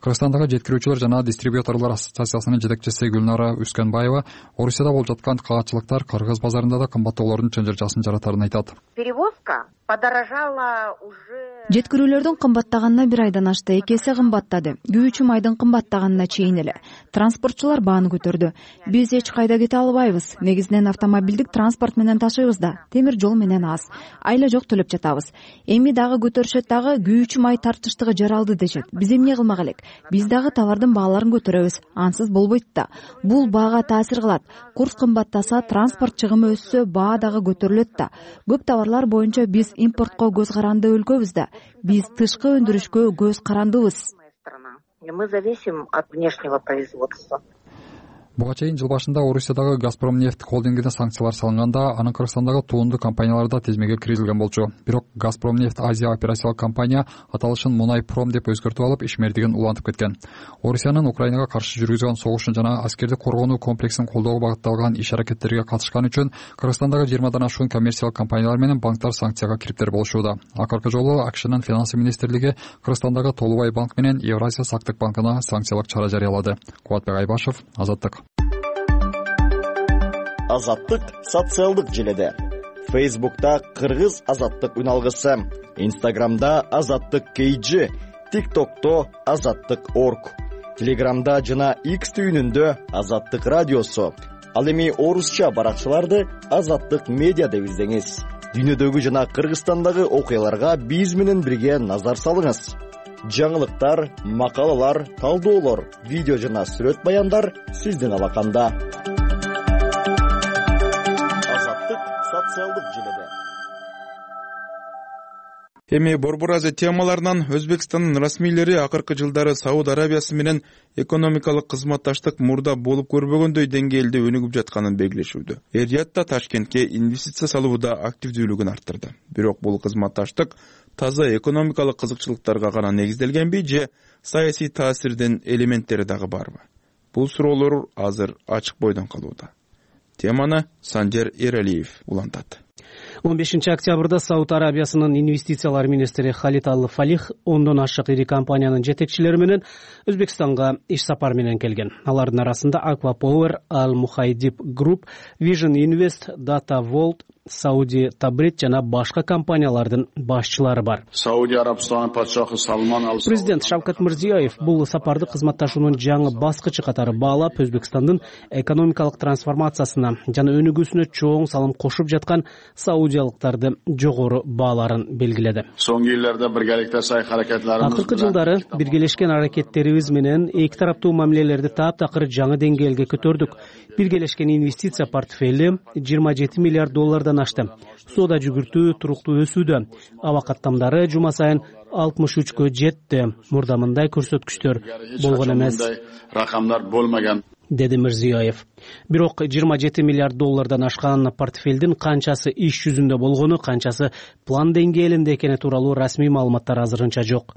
Кыргызстандагы жеткирүүчүлөр жана дистрибьюторлор ассоциациясынын жетекчиси Гүлнара Үскөнбаева Орусияда болуп жаткан каачылыктар Кыргыз базарында да кымбаттоолордун чынжыржасын жаратарын айтат. Перевозка подорожала уже. Жеткирүүлөрдүн кымбаттаганына бир айдан ашты, 2 эсе кымбаттады. Күйүүчү майдын кымбаттаганына чейин эле. Транспортчулар бааны көтөрдү. Биз эч кайда кете албайбыз. Негизинен автомобилдик транспорт менен ташыйбыз да. Темир жол менен аз. Айла жок төлөп жатабыз. Эми дагы көтөрүшөт дагы, күйүүчү май тартыштыгы жаралды дешет. Биз эмне кылмак элек? Биз дагы товардын бааларын көтөрөбүз. Ансыз болбойт да. Бул баага таасир кылат. Курс кымбаттаса, транспорт чыгымы өссө, баа дагы көтөрүлөт да. Көп товарлар боюнча биз импортко көз каранды өлкөбүз да. Биз тышкы өндүрүшкө көз карандыбыз. Мы зависим от внешнего производства. Буга чейин жыл башында Орусиядагы Газпромнефть холдингине санкциялар салынганда, анын Кыргызстандагы туундуу компаниялары да тизмеге киргизилген болчу. Бирок Газпромнефть Азия операциялык компания аталышын Мунайпром деп өзгөртүп алып, ишмердигин улантып кеткен. Орусиянын Украинага каршы жүргүзгөн согушун жана аскердик коргонуу комплексин колдоого багытталган иш-аракеттерге катышкан үчүн Кыргызстандагы 20дан ашуун коммерциялык компаниялар менен банктар санкцияга кириптер болушууда. Акыркы жолу АКШнын финансы министрлиги Кыргызстандагы Толубай банк менен Евразия сактык банкына санкциялык чара жарыялады. Кубатбек Айбашев, Азаттык. Азаттык социалдык желеде. Фейсбукта Кыргыз Азаттык үналгысы, Инстаграмда Азаттык KG, ТикТокто Азаттык Орг, Телеграмда жана X түйүнүндө Азаттык радиосу. Ал эми орусча баракчаларды Азаттык медиа деп издеңиз. Дүйнөдөгү жана Кыргызстандагы окуяларга биз менен бирге назар салыңыз. Жаңылыктар, макалалар, талдоолор, видео жана сүрөт баяндар сиздин алаканда. Азаттык социалдык желеде. Эми Борбор Азия темаларынан Өзбекстандын расмийлери акыркы жылдары Сауд Арабиясы менен экономикалык кызматташтык мурда болуп көрбөгөндөй деңгээлде өнүгүп жатканын белгилешүүдө. Эр-Риядда Ташкентке инвестиция салууда активдүүлүгүн арттырды. Бирок бул кызматташтык таза экономикалык кызыкчылыктарга гана негизделгенби же саясий таасирдин элементтери дагы барбы? Бул суроолор азыр ачык бойдон калууда. Теманы Санжер Эралиев улантат. 15 октябрда Сауд Арабиясынын инвестициялар министри Халид Ал-Фалих 10дон ашык ири компаниянын жетекчилери менен Өзбекстанга иш сапар менен келген. Алардын арасында Aqua Power, Al-Muhaydib Group, Vision Invest, Data Vault, Saudi Tabrit жана башка компаниялардын башчылары бар. Президент Шавкат Мирзиёев бул сапарды кызматташуунун жаңы баскычы катары баалап, Өзбекстандын экономикалык трансформациясына жана өнүгүүсүнө чоң салым кошуп жаткан саудиялыктарды жогору бааларын белгиледи. Акыркы жылдары биргелешкен аракеттерибиз менен эки тараптуу мамилелерди таптакыр жаңы деңгээлге көтөрдүк. Биргелешкен инвестиция портфели $27 миллиард ашты. Соода жүгүртүү туруктуу өсүүдө. Аба каттамдары жума сайын 63кө жетти. Мурда мындай көрсөткүчтөр болгон эмес, деди Мирзиёев. Бирок $27 миллиард ашкан портфелдин канчасы иш жүзүндө болгону, канчасы план деңгээлинде экени тууралуу расмий маалыматтар азырынча жок.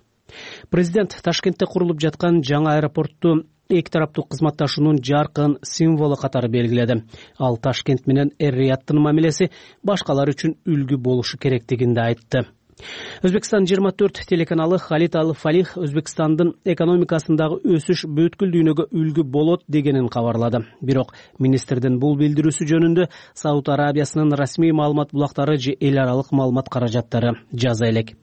Президент Ташкентте курулуп жаткан жаңы аэропортту эки тараптуу кызматташуунун жаркын символу катары белгиледи. Ал Ташкент менен Эр-Рияттын мамилеси башкалар үчүн үлгү болушу керектигин да айтты. Өзбекстан 24 телеканалы Халид Ал-Фалих Өзбекстандын экономикасындагы өсүш бүткүл дүйнөгө үлгү болот дегенин кабарлады. Бирок министрдин бул билдирүүсү жөнүндө Сауд Арабиясынын расмий маалымат булактары же эл аралык маалымат каражаттары жаза элек.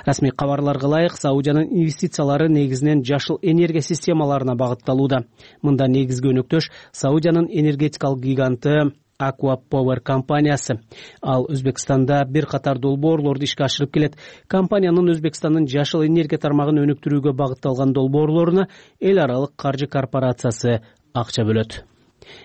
Расмий кабарларга ылайык, Саудиянын инвестициялары негизинен жашыл энергия системаларына багытталууда. Мында негизги өнөктөш Саудиянын энергетикалык гиганты Aqua Power компаниясы. Ал Өзбекстанда бир катар долбоорлорду ишке ашырып келет. Компаниянын Өзбекстандын жашыл энергия тармагын өнүктүрүүгө багытталган долбоорлоруна эл аралык каржы корпорациясы акча бөлөт.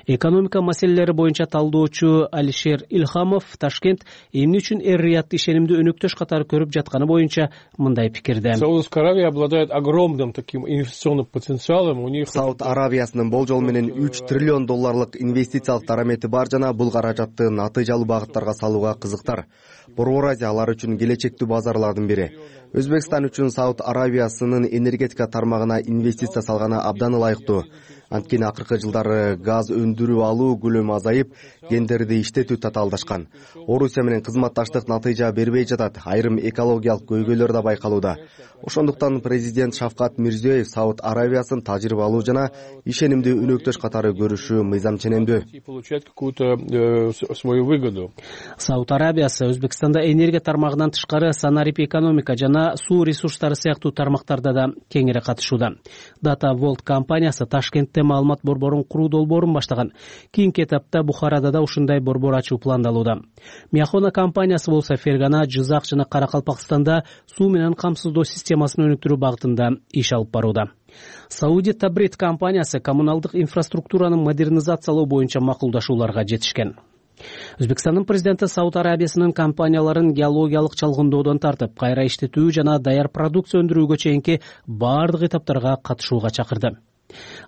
Экономика маселелери боюнча талдоочу Алишер Илхамов Ташкент эмне үчүн Эр-Риядды ишенимдүү өнөктөш катары көрүп жатканы боюнча мындай пикирде. Саудовская Аравия обладает огромным таким инвестиционным потенциалом. У них Сауд Аравиясынын болжол менен $3 триллион инвестициялык дарамети бар жана бул каражатты натыйжалуу багыттарга салууга кызыктар. Борбор Азия алар үчүн келечектүү базарлардын бири. Өзбекстан үчүн Сауд Аравиясынын энергетика тармагына инвестиция салганы абдан ылайыктуу. Анткени акыркы жылдары газ өндүрүп алуу көлөмү азайып, кендерди иштетүү татаалдашкан. Орусия менен кызматташтык натыйжа бербей жатат, айрым экологиялык көйгөйлөр да байкалууда. Ошондуктан президент Шавкат Мирзиёев Сауд Аравиясын тажрыйбалуу жана ишенимдүү өнөктөш катары көрүшү мыйзам ченемдүү. Сауд Арабиясы Өзбекстанда энергия тармагынан тышкары санарип экономика жана суу ресурстары сыяктуу тармактарда да кеңири катышууда. Data Vault компаниясы Ташкентте маалымат борборун куруу долбоорун баштаган. Кийинки этапта Бухарада да ушундай борбор ачуу пландалууда. Миахона компаниясы болсо Фергана, Жызак жана Каракалпакстанда суу менен камсыздоо системасын өнүктүрүү багытында иш алып барууда. Saudi Tabrit компаниясы коммуналдык инфраструктуранын модернизациялоо боюнча макулдашууларга жетишкен. Өзбекстандын президенти Сауд Арабиясынын компанияларын геологиялык чалгындоодон тартып, кайра иштетүү жана даяр продукция өндүрүүгө чейинки бардык этаптарга катышууга чакырды.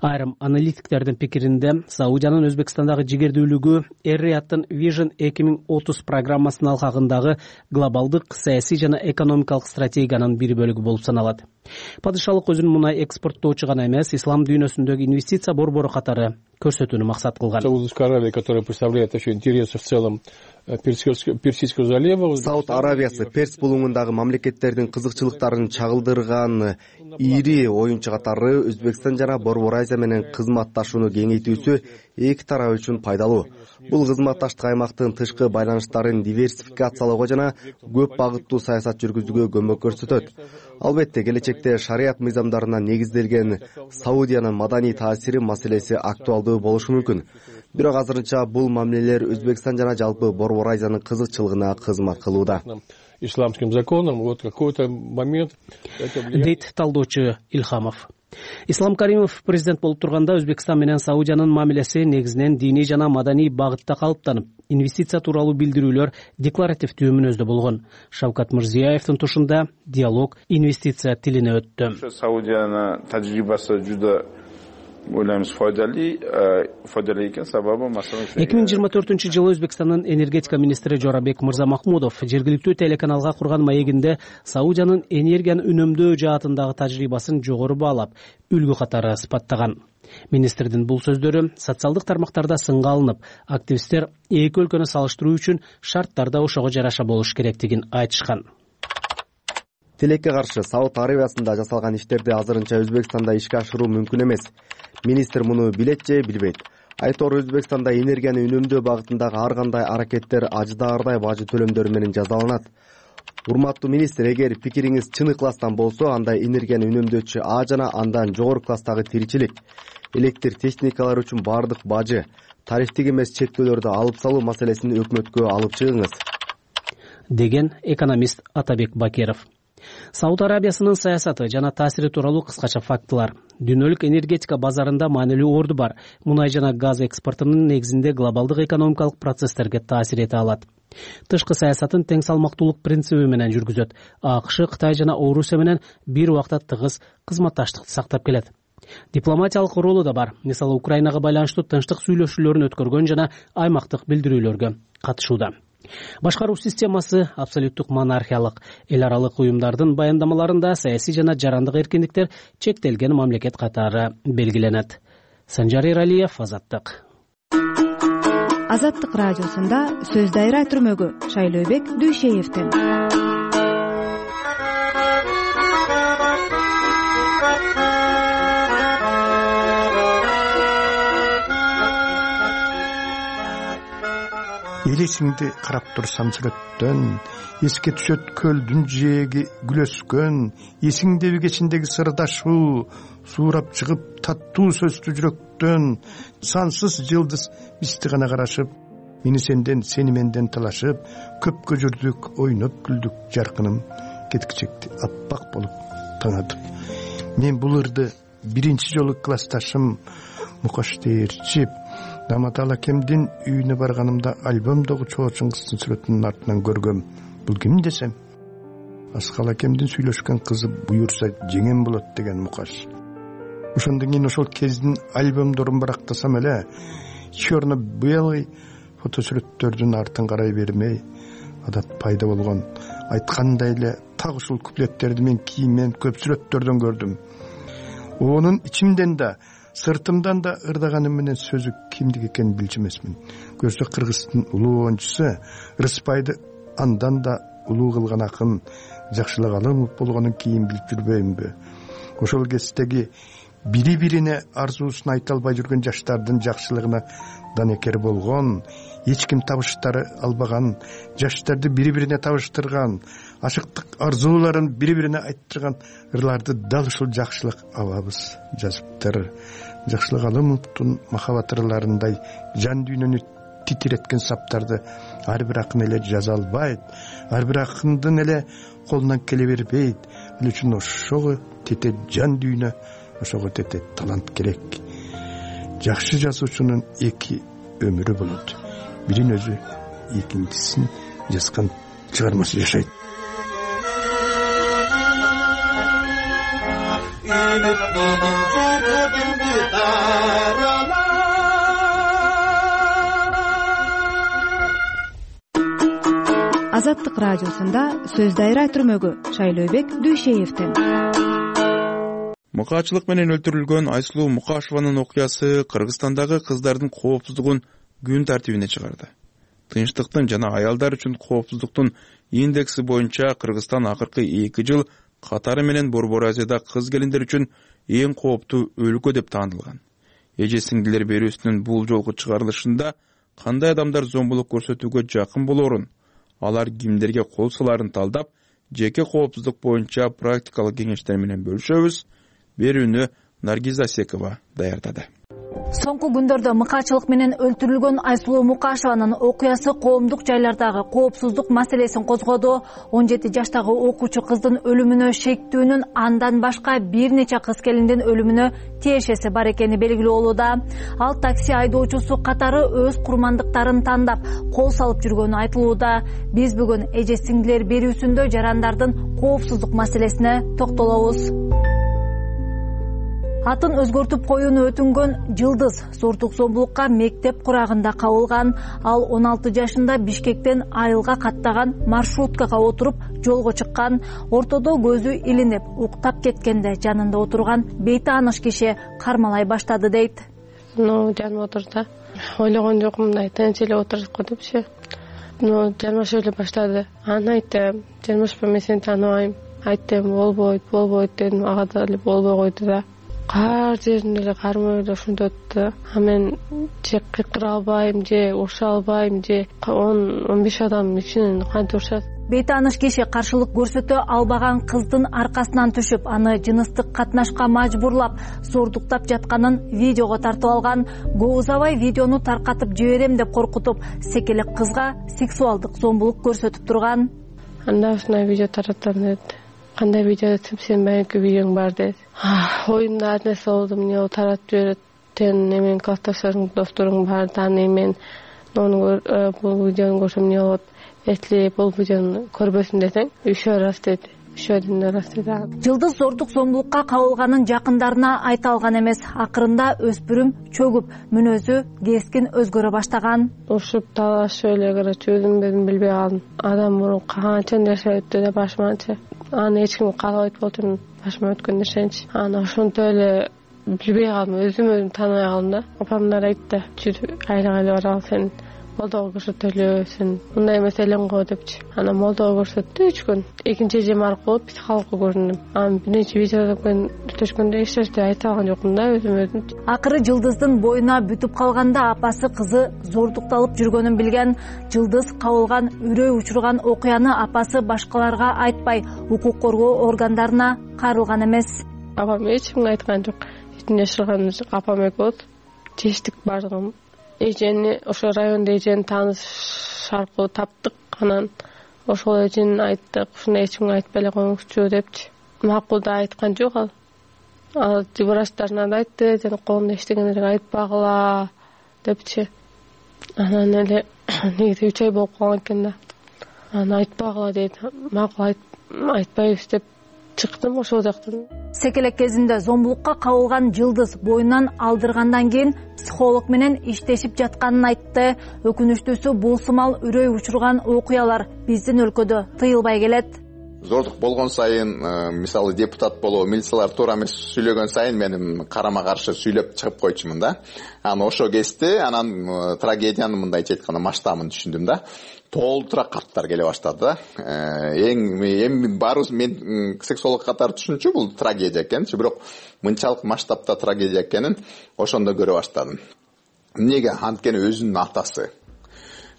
Айрым аналитиктердин пикиринде Саудиянын Өзбекстандагы жигердүүлүгү Эр-Рияттын Vision 2030 программасынын алкагындагы глобалдык саясий жана экономикалык стратегиянын бир бөлүгү болуп саналат. Падышалык өзүн мунай экспорттоочу гана эмес, ислам дүйнөсүндөгү инвестиция борбору катары көрсөтүүнү максат кылган. Саудовская Аравия, которая представляет еще интересы в целом Персидского залива. Сауд Аравиясы Перс булуңундагы мамлекеттердин кызыкчылыктарын чагылдырган ири оюнчу катары Өзбекстан жана Борбор Азия менен кызматташууну кеңейтүүсү эки тарап үчүн пайдалуу. Бул кызматташтык аймактын тышкы байланыштарын диверсификациялоого жана көп багыттуу саясат жүргүзүүгө көмөк көрсөтөт. Албетте, келечекте шарият мыйзамдарына негизделген Саудиянын маданий таасири маселеси актуалдуу болушу мүмкүн. Бирок азырынча бул мамилелер Өзбекстан жана жалпы Борбор Азиянын кызыкчылыгына кызмат кылууда. Исламским законом вот какой-то момент дейт талдоочу Илхамов. Ислам Каримов президент болуп турганда Өзбекстан менен Саудиянын мамилеси негизинен диний жана маданий багытта калыптанып, инвестиция тууралуу билдирүүлөр декларативдүү мүнөздө болгон. Шавкат Мирзиёевдин тушунда диалог инвестиция тилине өттү. Саудиянын тажрыйбасы жуда ойлоймуз файдалуу экен. Сабабы маселен 2024-жылы Өзбекстандын энергетика министри Жорабек Мырзамахмудов жергиликтүү телеканалга курган маегинде Саудиянын энергияны үнөмдөө жаатындагы тажрыйбасын жогору баалап, үлгү катары сыпаттаган. Министрдин бул сөздөрү социалдык тармактарда сынга алынып, активисттер эки өлкөнү салыштыруу үчүн шарттар да ошого жараша болуш керектигин айтышкан. Тилекке каршы Сауд Аравиясында жасалган иштерди азырынча Өзбекстанда ишке ашыруу мүмкүн эмес. Министр муну билет же билбейт. Айтору Өзбекстанда энергияны үнөмдөө багытындагы ар кандай аракеттер аждаардай бажы төлөмдөрү менен жазаланат. Урматтуу министр, эгер пикириңиз чын ыкластан болсо, анда энергияны үнөмдөөчү А жана андан жогору класстагы тиричилик, электр техникалар үчүн баардык бажы, тарифтик эмес чектөөлөрдү алып салуу маселесин өкмөткө алып чыгыңыз, деген экономист Атабек Бакиров. Сауд Арабиясынын саясаты жана таасири тууралуу кыскача фактылар. Дүйнөлүк энергетика базарында маанилүү орду бар. Мунай жана газ экспортунун негизинде глобалдык экономикалык процесстерге таасир эте алат. Тышкы саясатын тең салмактуулук принциби менен жүргүзөт. АКШ, Кытай жана Орусия менен бир убакта тыгыз кызматташтыкты сактап келет. Дипломатиялык ролу да бар. Мисалы, Украинага байланыштуу тынчтык сүйлөшүүлөрүн өткөргөн жана аймактык билдирүүлөргө катышууда. Башкаруу системасы абсолюттук монархиялык. Эл аралык уюмдардын баяндамаларында саясий жана жарандык эркиндиктер чектелген мамлекет катары белгиленет. Санжар Эралиев, Азаттык. Азаттык радиосунда сөз дайра түрмөгү Шайлообек Дүйшеевдин. Элесиңди карап турсам сүрөттөн, эске түшөт көлдүн жээги күлөскөн, эсиңдеби кечиндеги сырдашуу, суурап чыгып таттуу сөздүү жүрөктөн, сансыз жылдыз бизди гана карашып, мени сенден, сени менден талашып, көпкө жүрдүк, ойноп күлдүк, жаркыным кеткичекти аппак болуп таңатып. Мен бул ырды биринчи жолу классташым Мукаш Дээрчип Даматал акемдин үйүнө барганымда альбомдогу чоочун кыздын сүрөтүнүн артынан көргөм. Бул ким десем, Аскал акемдин сүйлөшкөн кызы буюрса жеңем болот деген Мукаш. Ошондон кийин ошол кездин альбомдорун барактасам эле, черно-белый фотосүрөттөрдүн артын карай бермей, адат пайда болгон. Айткандай эле так ушул куплеттерди мен кийинмен көп сүрөттөрдөн көрдүм. Онун ичимден да, сыртымдан да ырдаганым менен сөзү кимдик экенин билчү эмесмин. Көрсө Кыргыздын улуу оюнчусу Рыспайды андан да улуу кылган акын Жакшылык Алымов болгонун кийин билип жүрбөймүнбү? Ошол кездеги бири-бирине арзуусун айта албай жүргөн жаштардын жакшылыгына данекер болгон, эч ким табыштары албаган, жаштарды бири-бирине табыштырган, ашыктык арзууларын бири-бирине айттырган ырларды дал ушул Жакшылык абабыз жазыптыр. Жакшылык Алымовдун махабат ырларындай жан дүйнөнү титиреткен саптарды ар бир акын эле жаза албайт, ар бир акындын эле колунан келе бербейт. Ал үчүн ошого тете жан дүйнө, ошого тете талант керек. Жакшы жазуучунун эки өмүрү болот. Бирин өзү, экинчисин жазган чыгармасы жашайт. Үмүт менен жүрөгүмдү даралар. Азаттык радиосунда сөз дайра түрмөгү Шайлообек Дүйшеевден. Мукаачылык менен өлтүрүлгөн Айсулуу Мукашеванын окуясы Кыргызстандагы кыздардын коопсуздугун күн тартибине чыгарды. Тынчтыктын жана аялдар үчүн коопсуздуктун индекси боюнча Кыргызстан акыркы 2 жыл катары менен Борбор Азияда кыз келиндер үчүн эң кооптуу өлкө деп таанылган. Эже сиңдилер берүүсүнүн бул жолку чыгарылышында кандай адамдар зомбулук көрсөтүүгө жакын болорун, алар кимдерге кол саларын талдап, жеке коопсуздук боюнча практикалык кеңештер менен бөлүшөбүз. Берүүнү Наргиза Секова даярдады. Соңку күндөрдө мыкаачылык менен өлтүрүлгөн Айсулуу Мукашеванын окуясы коомдук жайлардагы коопсуздук маселесин козгоду. 17 жаштагы окуучу кыздын өлүмүнө шектүүнүн андан башка бир нече кыз келиндин өлүмүнө тиешеси бар экени белгилүү болууда. Ал такси айдоочусу катары өз курмандыктарын тандап кол салып жүргөнү айтылууда. Биз бүгүн эже сиңдилер берүүсүндө жарандардын коопсуздук маселесине токтолобуз. Атын өзгөртүп коюуну өтүнгөн Жылдыз зордук зомбулукка мектеп курагында кабылган. Ал 16 жашында Бишкектен Айылга каттаган маршруткага отуруп жолго чыккан. Ортодо көзү илинип, уктап кеткенде жанында отурган бейтааныш киши кармалай баштады дейт. Жаным отурду. Ойлогон жокмун, мындай тынч эле отуруп коюпчу. Жармашып эле баштады. Аны айттым, жармашпа, мен сени тааныбайм. Айттым, болбойт дедим, ага да болбой койду да. Кар жеринде эле кармоо эле ушундай өттү. Мен же кыйкыра албайм, же уруша албайм, же 10-15 адам ичинен кантип урушат. Бейтааныш киши каршылык көрсөтө албаган кыздын аркасынан түшүп, аны жыныстык катнашка мажбурлап, зордуктап жатканын видеого тартып алган. Көп узабай видеону таркатып жиберем деп коркутуп, секелек кызга сексуалдык зомбулук көрсөтүп турган. Анда ушундай видео таратам деди. Кандай видео десем, сен баягы видеоң бар деди. Оюмда ар нерсе болду, эмне таратып жиберет, сен эмен классташың, досторуң бар, аны мен бул видеону көрсөм эмне болот, эсли бул видеону көрбөсүн десең, үшөө рас деди. Жылдыз зордук зомбулукка кабылганын жакындарына айта алган эмес. Акырында өспүрүм чөгүп, мүнөзү кескин өзгөрө баштаган. Ушуп талашып эле короче, өзүм билбей калдым. Адам мурун канча нерсе өттү да башыманчы. Аны эч ким каалабайт болчу, башыма өткөн нерсенчи. Аны ошонтип эле билбей калдым, өзүм тааныбай калдым да. Апамдар айтты, жүрүп айлык баралы, сен молдого көрсөтөлү, сен мындай эмес элең го депчи. Ана молдого көрсөттү 3 күн. Экинчи эжем аркылуу психологко көрүндүм. Аны бир нече видеодон өтөшкөндө эч нерсе айта алган жокмун да өзүм. Акыры Жылдыздын боюна бүтүп калганда апасы кызы зордукталып жүргөнүн билген. Жылдыз кабылган, үрөй учурган окуяны апасы башкаларга айтпай, укук коргоо органдарына кайрылган эмес. Апам эч кимге айткан жок. Эчин жашырган апам экөөбүз. Чечтик бардыгын. Эжени ошо райондо эжени тааныш аркылуу таптык. Анан ошол эжени айттык, ушуну эч кимге айтпай эле коюңузчу депчи. Макул да айткан жок ал. Ал врачтарына да айтты, сен колуңда иштегендерге айтпагыла депчи. Анан эле негизи 3 ай болуп калган экен да. Аны айтпагыла дейт. Макул айтпайбыз деп чыктым ошол жактан. Секелек кезинде зомбулукка кабылган Жылдыз боюнан алдыргандан кийин психолог менен иштешип жатканын айтты. Өкүнүчтүүсү бул сымал үрөй учурган окуялар биздин өлкөдө тыйылбай келет. Зордук болгон сайын, мисалы депутат болуп, милициялар туура эмес сүйлөгөн сайын мен карама каршы сүйлөп чыгып койчумун да. Анан ошо кезде анан трагедиянын мындайча айтканда масштабын түшүндүм да. Толтура карттар келе баштады да. Эми баарыбыз мен сексуолог катары түшүнчү бул трагедия экенчи, бирок мынчалык масштабта трагедия экенин ошондо көрө баштадым. Эмнеге? Анткени өзүнүн атасы,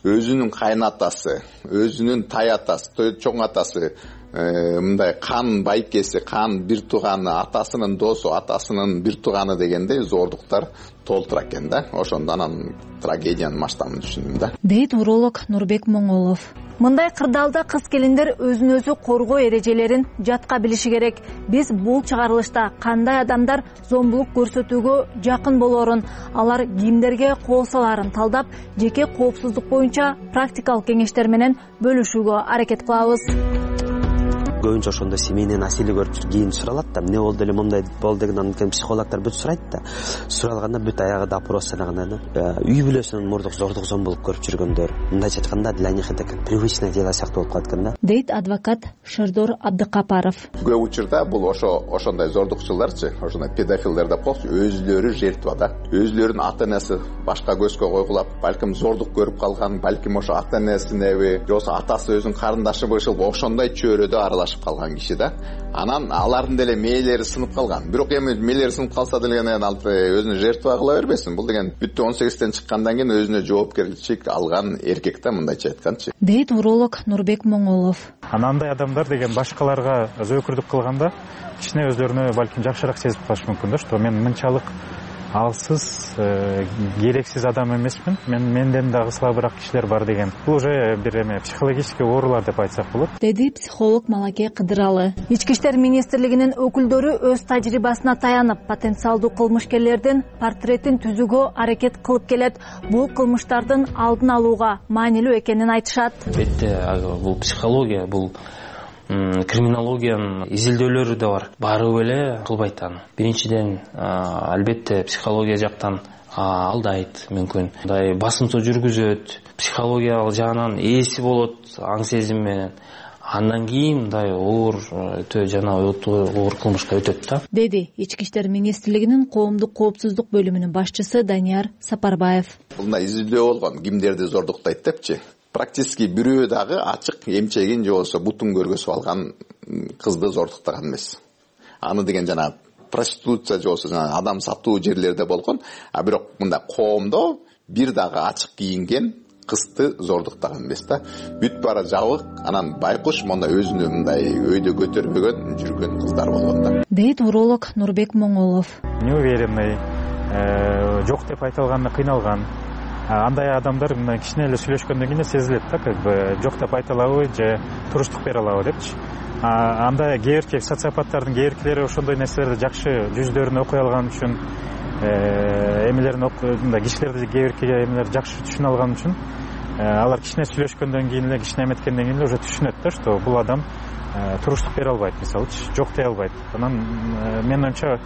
өзүнүн кайнатасы, өзүнүн тай атасы, чоң атасы, мындай кан байкеси, кан бир тууганы, атасынын досу, атасынын бир тууганы дегендей зордуктар толтура экен да. Ошондо анан трагедиянын масштабын түшүндүм да. Дейт уролог Нурбек Моңолов. Мындай кырдаалда кыз келиндер өзүн өзү коргоо эрежелерин жатка билиши керек. Биз бул чыгарылышта кандай адамдар зомбулук көрсөтүүгө жакын болорун, алар кимдерге кол саларын талдап, жеке коопсуздук боюнча практикалык кеңештер менен бөлүшүүгө аракет кылабыз. көбүнчө ошондой семейный насилие көрүп кийин суралат да эмне болду эле мындай болду деген. Анан кийин психологдор бүт сурайт да. Суралганда бүт аягы допрос жанагындай үй бүлөсүнөн мурдук зордук зомбулук көрүп жүргөндөр. Мындайча айтканда для них это как привычное дело сыяктуу болуп калат экен да. Дейт адвокат Шердор Абдыкапаров. Көп учурда бул ошондой зордукчуларчы, ошондой педофилдер деп коелучу, өзүлөрү жертва да. Өзүлөрүнүн ата-энеси башка көзгө койгулап, балким зордук көрүп калган, балким ошо ата-энесинеби, же болбосо атасы өзүнүн карындашыбы ушул ошондой чөйрөдө аралашып калган киши да. Анан алардын деле мээлери сынып калган. Бирок эми мээлери сынып калса деле ал өзүнү жертва кыла бербесин. Бул деген бүттү 18-тен чыккандан кийин өзүнө жоопкерчилик алган эркек да, мындайча айтканчы. Дейт уролог Нурбек Моңолов. Андай адамдар деген башкаларга зөөкүрдүк кылганда кичине өзлөрүнө балким жакшыраак сезип калышы мүмкүн да, что мен мынчалык алсыз, керексиз адам эмесмин, менден дагы слабыраак кишилер бар деген. Бул уже бир психологический оорулар деп айтсак болот, деди психолог Малаке Кыдыралы. Ички иштер министрлигинин өкүлдөрү өз тажрыйбасына таянып, потенциалдуу кылмышкерлердин портретин түзүүгө аракет кылып келет. Бул кылмыштардын алдын алууга маанилүү экенин айтышат. Албетте, бул психология, бул криминологиянын изилдөөлөрү да бар. Барып эле кылбайт аны. Биринчиден, албетте психология жактан алдайт мүмкүн. Мындай басымсыз жүргүзөт, психологиялык жагынан ээси болот, аң сезим менен. Андан кийин мындай оор кылмышка өтөт да. Деди Ички иштер министрлигинин коомдук коопсуздук бөлүмүнүн башчысы Данияр Сапарбаев. Мындай изилдөө болгон, кимдерди зордуктайт депчи. Практически бирөө дагы ачык эмчегин же болбосо бутун көргөзүп алган кызды зордуктаган эмес. Аны деген жана проституция же болбосо адам сатуу жерлерде болгон, а бирок мындай коомдо бир дагы ачык кийинген кызды зордуктаган эмес да. Бүт бара жабык, анан байкуш мындай өзүнө мындай өйдө көтөрбөгөн жүргөн кыздар болгон да. Дейт уролог Нурбек Моңолов. Неуверенный, жок деп айта алганда кыйналган. Андай адамдар мына кичине эле сүйлөшкөндөн кийин сезилет да, как бы жок деп айта алабы же туруштук бере алабы депчи. Анда кээ социопаттардын кээ ошондой нерселерди жакшы жүздөрүн окуй алган үчүн, эмелерин кишилерди кээ эмелерди жакшы түшүнө алган үчүн алар кичине сүйлөшкөндөн кийин эле, кичине эметкенден кийин эле уже түшүнөт да, что бул адам туруштук бере албайт, мисалычы жок дей албайт. Анан менин оюмча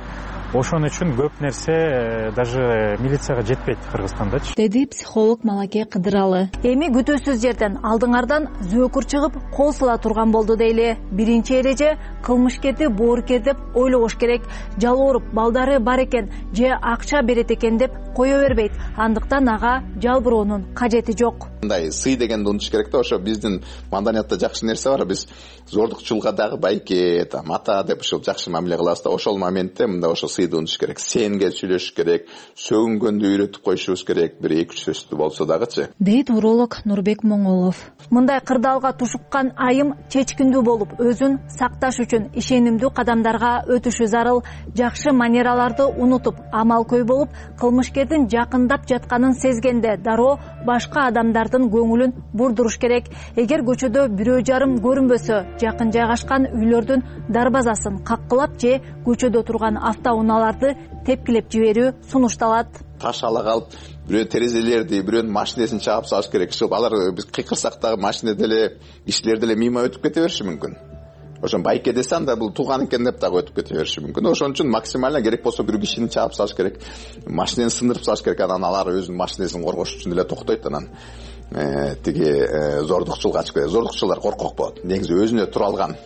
ошон үчүн көп нерсе даже милицияга жетпейт Кыргызстандачы, деди психолог Малаке Кыдыралы. Эми күтүүсүз жерден алдыңардан зөөкүр чыгып кол сыла турган болду дейли. Биринчи эреже кылмышкерди боорукер деп ойлобош керек. Жалооруп балдары бар экен же акча берет экен деп кое бербейт. Андыктан ага жалбыроонун кажети жок. Мындай сый дегенди унутуш керек да. Ошо биздин маданиятта жакшы нерсе бар. Биз зордукчулукка дагы байке, ата деп ушул жакшы мамиле кылабыз да. Ошол моментте мындай ошо сыйды унутуш керек. Сенге сүйлөшүш керек, сөгүнгөндү үйрөтүп коюшубуз керек, бир 2-3 сөздү болсо дагычы. Дейт уролог Нурбек Моңолов. Мындай кырдаалга тушуккан айым чечкиндүү болуп, өзүн сакташ үчүн ишенимдүү кадамдарга өтүшү зарыл. Жакшы манераларды унутуп, амалкөй болуп, кылмышкердин жакындап жатканын сезгенде дароо башка адамдардын көңүлүн бурдуруш керек. Эгер көчөдө бирөө жарым көрүнбөсө, жакын жайгашкан үйлөрдүн дарбазасын каккылап же көчөдө турган автоунааларды тепкилеп жиберүү сунушталат. Таш ала калып, бирөө терезелерди, бирөөнүн машинесин чаап салыш керек. Алар биз кыйкырсак дагы машина деле, кишилер деле мимо өтүп кете бериши мүмкүн. Ошон байке десе анда бул тууган экен деп дагы өтүп кете бериши мүмкүн. Ошон үчүн максимально керек болсо бир кишини чаап салыш керек, машинени сындырып салыш керек. Анан алар өзүнүн машинесин коргош үчүн эле токтойт. Анан тиги зордукчулукка ачып кетет. Зордукчулар коркок болот. Негизи өзүнө тура алган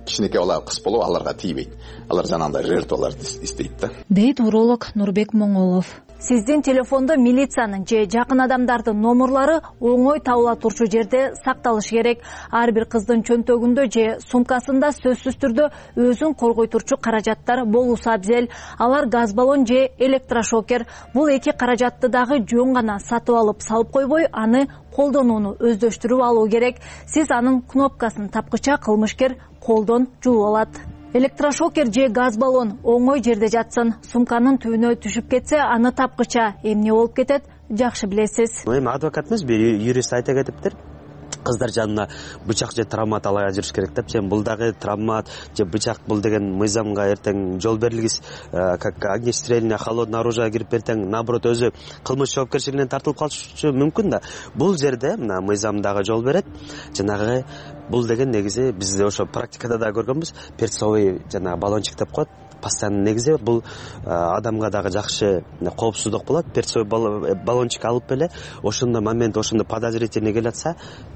кичинекей бала кыз болуп аларга тийбейт. Алар жанагындай жертваларды издейт да. Дейт уролог Нурбек Моңолов. Сиздин телефондо милициянын же жакын адамдардын номерлары оңой табыла турчу жерде сакталышы керек. Ар бир кыздын чөнтөгүндө же сумкасында сөзсүз түрдө өзүн коргой турчу каражаттар болуусу абзел. Алар газ баллон же электрошокер. Бул эки каражатты дагы жөн гана сатып алып салып койбой, аны колдонууну өздөштүрүп алуу керек. Сиз анын кнопкасын тапкыча кылмышкер колдон жууп алат. Электрошокер же газ баллон оңой жерде жатсын. Сумканын түбүнө түшүп кетсе, аны тапкыча эмне болуп кетет, жакшы билесиз. Эми адвокат эмес, бир юрист айта кетиптир. кыздар жанына бычак же травмат ала жүрүш керек деп. Бул дагы травмат же бычак, бул деген мыйзамга эртең жол берилгис, как огнестрельное холодное оружие кирип эртең наоборот өзү кылмыш жоопкерчилигинен тартылып калышы мүмкүн да. Бул жерде мына мыйзам дагы жол берет. Жанагы бул деген негизи бизде ошо практикада да көргөнбүз. Перцовый жанагы баллончик деп коет. Постоянно негизи бул адамга дагы жакшы коопсуздук болот. Перцовый баллончик алып эле ошондо момент, ошондо подозрительный келе атса,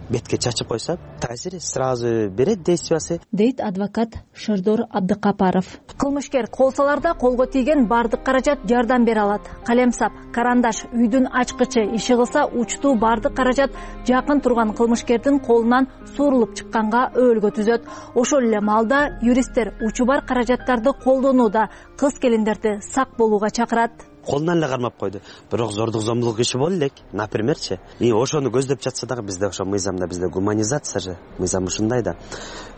бетке чачып койсо, таасири сразу берет действиясы, дейт адвокат Шердор Абдыкапаров. Кылмышкер колсаларда колго тийген бардык каражат жардам бере алат. Калемсап, карандаш, үйдүн ачкычы иши кылса, учтуу бардык каражат жакын турган кылмышкердин колунан суурулуп чыкканга өөлгө түзөт. Ошол эле маалда юристтер учу бар каражаттарды колдонууда кыз-келиндерди сак болууга чакырат. Колунан эле кармап койду. Бирок зордук зомбулук иши боло элек, напримерчи. Ошону көздөп жатса дагы бизде ошо мыйзамда, бизде гуманизация же, мыйзам ушундай да.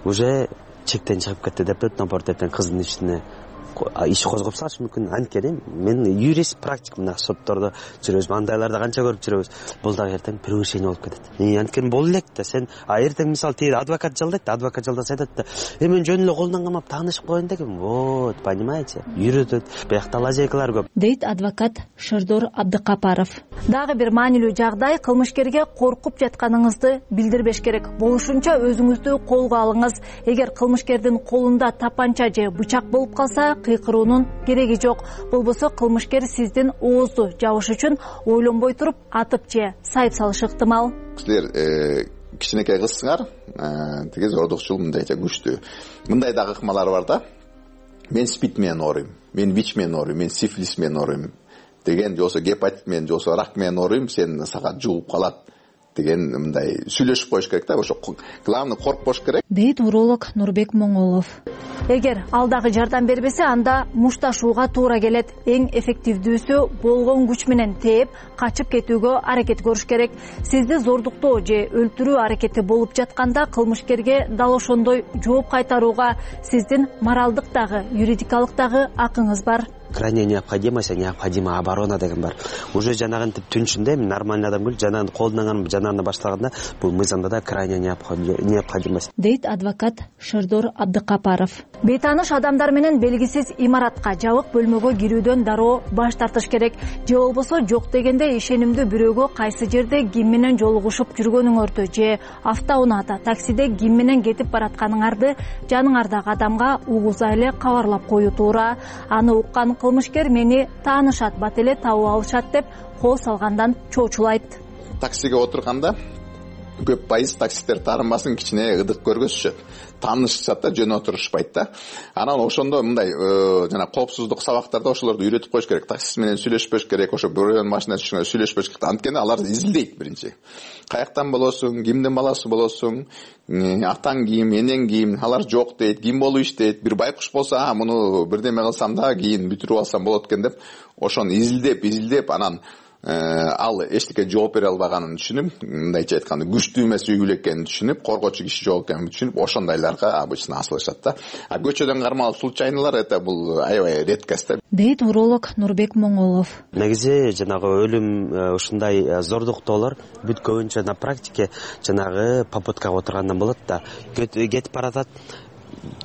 Уже чектен чыгып кетти деп наоборот эртең кыздын ишине иш козгоп салышы мүмкүн. Анткени мен юрист, практик, мына соттордо жүрөбүз, андайларды канча көрүп жүрөбүз. Бул дагы эртең превышение болуп кетет. Анткени боло элек да, сен эртең мисалы тиги адвокат жалдайт, адвокат жалдаса айтат да, мен жөн эле колунан камап таанышып коеюн дегем. Вот, понимаете? Үйрөтөт. Биякта лазейкалар көп, дейт адвокат Шердор Абдыкапаров. Дагы бир маанилүү жагдай, кылмышкерге коркуп жатканыңызды билдирбеш керек. Болушунча өзүңүздү колго алыңыз. Эгер кылмышкердин колунда тапанча же бычак болуп калса, кыйкыруунун кереги жок. Болбосо кылмышкер сиздин оозду жабыш үчүн ойлонбой туруп атып же сайып салышы ыктымал. Силер кичинекей кызсыңар, тиги зордукчул мындайча күчтүү. Мындай дагы ыкмалар бар да. Мен спид менен ооруйм, мен ВИЧ менен ооруйм, мен сифилис менен ооруйм деген, жосо гепатит менен, жосо рак менен ооруйм, сен сага жугуп калат деген мындай сүйлөшүп коюш керек да. Ошо главный коркпош керек, дейт уролог Нурбек Моңолов. Эгер ал дагы жардам бербесе, анда мушташууга туура келет. Эң эффективдүүсү болгон күч менен тээп, качып кетүүгө аракет көрүш керек. Сизди зордуктоо же өлтүрүү аракети болуп жатканда кылмышкерге дал ошондой жооп кайтарууга сиздин моралдык дагы, юридикалык дагы акыңыз бар. Крайняя необходимость, необходимая оборона деген бар. Уже жанагынтип түнчүндө мен нормальный адам көл, жанагын колунан жанагына баштаганда бул мыйзамда да крайняя необходимость, дейт адвокат Шердор Абдыкапаров. Бейтааныш адамдар менен белгисиз имаратка, жабык бөлмөгө кирүүдөн дароо баш тартыш керек. Же болбосо жок дегенде ишенимдүү бирөөгө кайсы жерде ким менен жолугушуп жүргөнүңөрдү же автоунаада, таксиде ким менен кетип баратканыңарды жаныңардагы адамга угуза эле кабарлап коюу туура. Аны уккан кылмышкер мени таанышат, бат эле табып алышат деп кол салгандан чоочулайт. Таксиге отурганда көп пайыз таксисттер таарынбасын, кичине ыдык көргөзүшөт. Таанышышат да, жөн отурушпайт да. Анан ошондо мындай жана коопсуздук сабактарда ошолорду үйрөтүп коюш керек. Таксист менен сүйлөшпөш керек, ошо бирөөнүн машинасы түшкөндө сүйлөшпөш керек. Анткени алар изилдейт биринчи. Каяктан болосуң, кимдин баласы болосуң, атаң ким, энең ким, алар жок дейт, ким болуп иштейт. Бир байкуш болсо, муну бирдеме кылсам да кийин бүтүрүп алсам болот экен деп, ошону изилдеп, анан ал эчтеке жооп бере албаганын түшүнүп, мындайча айтканда күчтүү эмес үй экенин түшүнүп, коргоочу киши жок экенин түшүнүп, ошондойлорго обычно асылышат да. А көчөдөн кармалып случайнылар это бул аябай редкость да, дейт уролог Нурбек Моңолов. Негизи жанагы өлүм ушундай зордуктоолор бүт көбүнчө на практике жанагы попуткага отургандан болот да. Кетип баратат,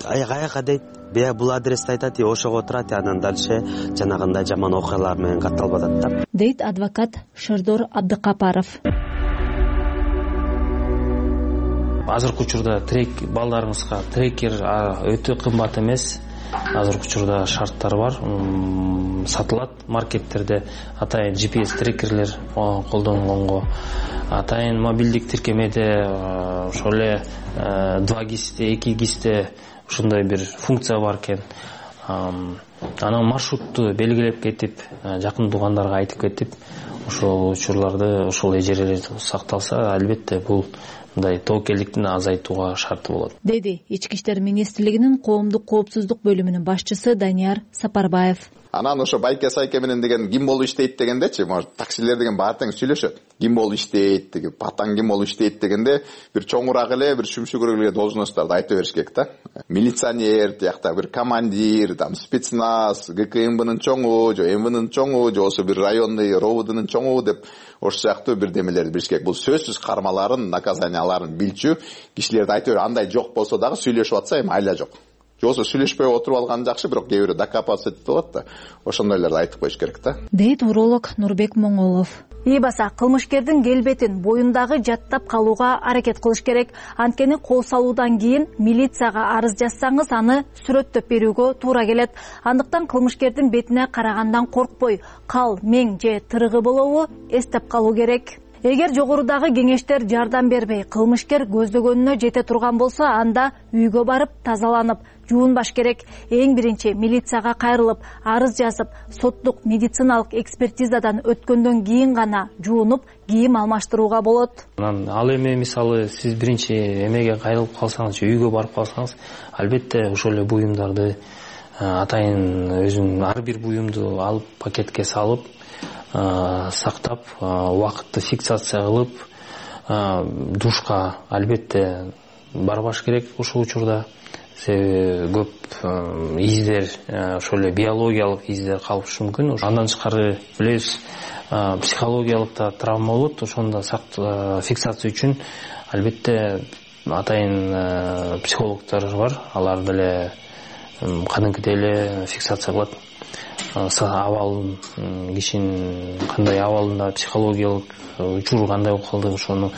аяка дейт, бия бул адрести айтат, ошого отурат, анан дальше жанагындай жаман окуялар менен катталып атат да, дейт адвокат Шердор Абдыкапаров. Азыркы учурда балдарыңызга трекер өтө кымбат эмес. Азыркы учурда шарттар бар, сатылат маркеттерде. Атайын GPS трекерлер колдонгонго, атайын мобилдик тиркемеде ошол эле 2 гисте, 2 гисте ушундай бир функция бар экен. Анан маршрутту белгилеп кетип, жакын туугандарга айтып кетип, ошол учурларды, ошол эжелер сакталса, албетте бул мындай тоокелдиктин азайтууга шарты болот, деди Ички иштер министрлигинин коомдук коопсуздук бөлүмүнүн башчысы Данияр Сапарбаев. Анан ошо байке сайке менен деген ким болуп иштейт дегендечи, может таксилер деген баары тең сүйлөшөт. Ким болуп иштейт деген, патан ким болуп иштейт дегенде бир чоңураак эле, бир шүмшүгүрөөк эле должностторду айта бериш керек да. милиционер тиякта бир командир, там спецназ, ГКМБнын чоңу же МВнын чоңу же болбосо бир районный РОВДнын чоңу деп ошол сыяктуу бир демелерди билиш керек. Бул сөзсүз кармаларын, наказанияларын билчү кишилерди айтып андай жок болсо дагы сүйлөшүп атса эми айла жок. Же болбосо сүйлөшпөй отуруп алган жакшы, бирок кээ бирөө докопаться этип алат да. Ошондойлорду айтып коюш керек да. Дейт уролог Нурбек Моңолов. Ийбаса кылмышкердин келбетин, боюндагы жаттап калууга аракет кылыш керек. Анткени кол салуудан кийин милицияга арыз жазсаңыз, аны сүрөттөп берүүгө туура келет. Андыктан кылмышкердин бетине карагандан коркпой, кал, мең же тырыгы болобу эстеп калуу керек. Эгер жогорудагы кеңештер жардам бербей, кылмышкер көздөгөнүнө жете турган болсо, анда үйгө барып тазаланып, жуунбаш керек. Эң биринчи милицияга кайрылып, арыз жазып, соттук медициналык экспертизадан өткөндөн кийин гана жуунуп, кийим алмаштырууга болот. Ал эми мисалы сиз биринчи эмеге кайрылып калсаңыз, үйгө барып калсаңыз, албетте ошол эле буюмдарды атайын өзүнүн ар бир буюмду алып пакетке салып, сактап, убакытты фиксация кылып, душка албетте барбаш керек ушул учурда. Себеби көп издер, ошол эле биологиялык издер калышы мүмкүн. Андан тышкары билебиз, психологиялык да травма болот. Ошондо фиксация үчүн албетте атайын психологдор бар. Алар деле кадимкидей эле фиксация кылат. Абалын, кишинин кандай абалында психологиялык учуру кандай болуп калды, ошону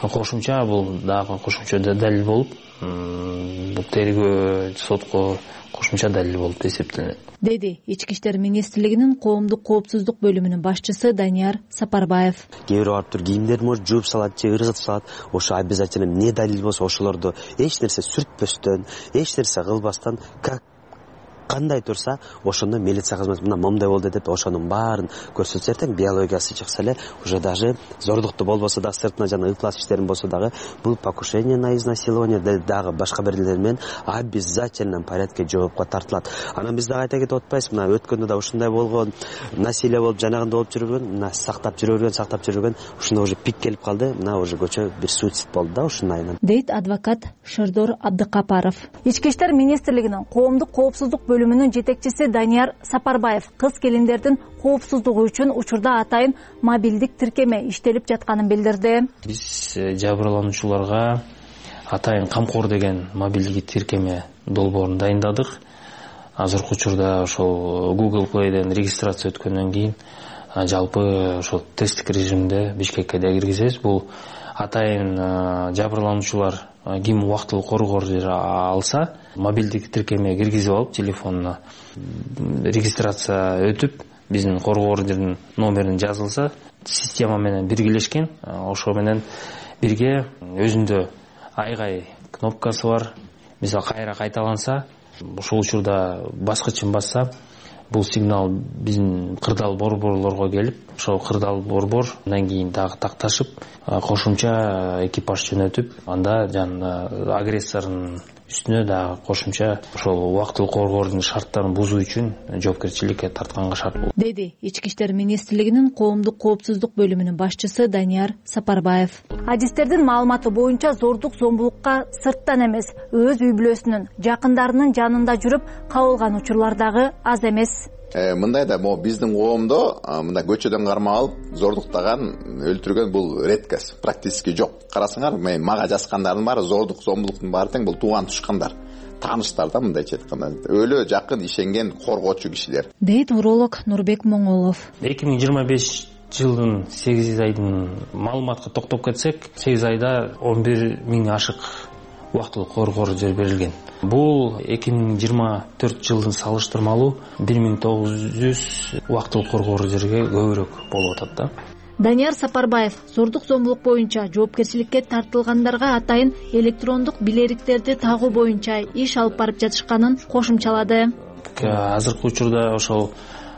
кошумча, бул дагы кошумча далил болуп, бул тергөө сотко кошумча далил болуп эсептелет, деди Ички иштер министрлигинин коомдук коопсуздук бөлүмүнүн башчысы Данияр Сапарбаев. Кээ бирөө барып туруп кийимдерин может жууп салат же ыргытып салат. Ошо обязательно эмне далил болсо ошолорду эч нерсе сүртпөстөн, эч нерсе кылбастан, кандай турса ошондо милиция кызматы мына момундай болду деп ошонун баарын көрсөтсө, эртең биологиясы чыкса эле уже даже зордукту болбосо да, сыртына жана ыклас иштерин болсо дагы бул покушение на изнасилование дагы башка бирлер менен обязательно порядке жоопко тартылат. Анан биз дагы айта кетип атпайбызбы, мына өткөндө да ушундай болгон, насилие болуп жанагында болуп жүргөн, мына сактап жүргөн, ушунда уже пик келип калды, мына уже көчө бир суицид болду да ушунун айынан. Дейт адвокат Шердор Абдыкапаров. Ички иштер министрлигинин коомдук коопсуздук бөлүмүнүн жетекчиси Данияр Сапарбаев кыз келиндердин коопсуздугу үчүн учурда атайын мобилдик тиркеме иштелип жатканын билдирди. Биз жабырлануучуларга атайын камкор деген мобилдик тиркеме долбоорун дайындадык. Азыркы учурда ошол Google Play'ден регистрация өткөндөн кийин жалпы ошол тесттик режимде Бишкекке да киргизебиз. Бул атайын жабырлануучулар ким убактылуу коргоор алса, мобилдик тиркеме киргизип алып, телефонуна регистрация өтүп, биздин коргоордун номерин жазылса, система менен биргелешкен, ошо менен бирге өзүндө айгай кнопкасы бар. Мисалы кайра кайталанса, ошол учурда баскычын басса, бул сигнал биздин кырдаал борборлорго келип, ошол кырдаал борбор андан кийин дагы такташып, кошумча экипаж жөнөтүп, анда жанагы агрессордун үстүнө дагы кошумча ошол убактылуу коргоордун шарттарын бузуу үчүн жоопкерчиликке тартканга шарт болот, деди Ички иштер министрлигинин коомдук коопсуздук бөлүмүнүн башчысы Данияр Сапарбаев. Адистердин маалыматы боюнча зордук зомбулукка сырттан эмес, өз үй бүлөсүнүн, жакындарынын жанында жүрүп кабылган учурлар дагы аз эмес. Мындай да биздин коомдо мындай көчөдөн кармап алып зордуктаган, өлтүргөн бул редкость, практически жок. Карасаңар, мага жазгандардын баары зордук, зомбулуктун баары тең бул тууган тушкандар, тааныштар да, мындайча айтканда, өлө жакын ишенген коргоочу кишилер. Дейт уролог Нурбек Моңолов. 2025 жылдын 8 айдын маалыматка токтоп кетсек, 8 айда 11 миң ашык убактылуу коргоор жер берилген. Бул 2024 жылдын салыштырмалуу 1900 убактылуу коргоор жерге көбүрөөк болуп атат да. Данияр Сапарбаев зордук зомбулук боюнча жоопкерчиликке тартылгандарга атайын электрондук билериктерди тагуу боюнча иш алып барып жатышканын кошумчалады. Азыркы учурда ошол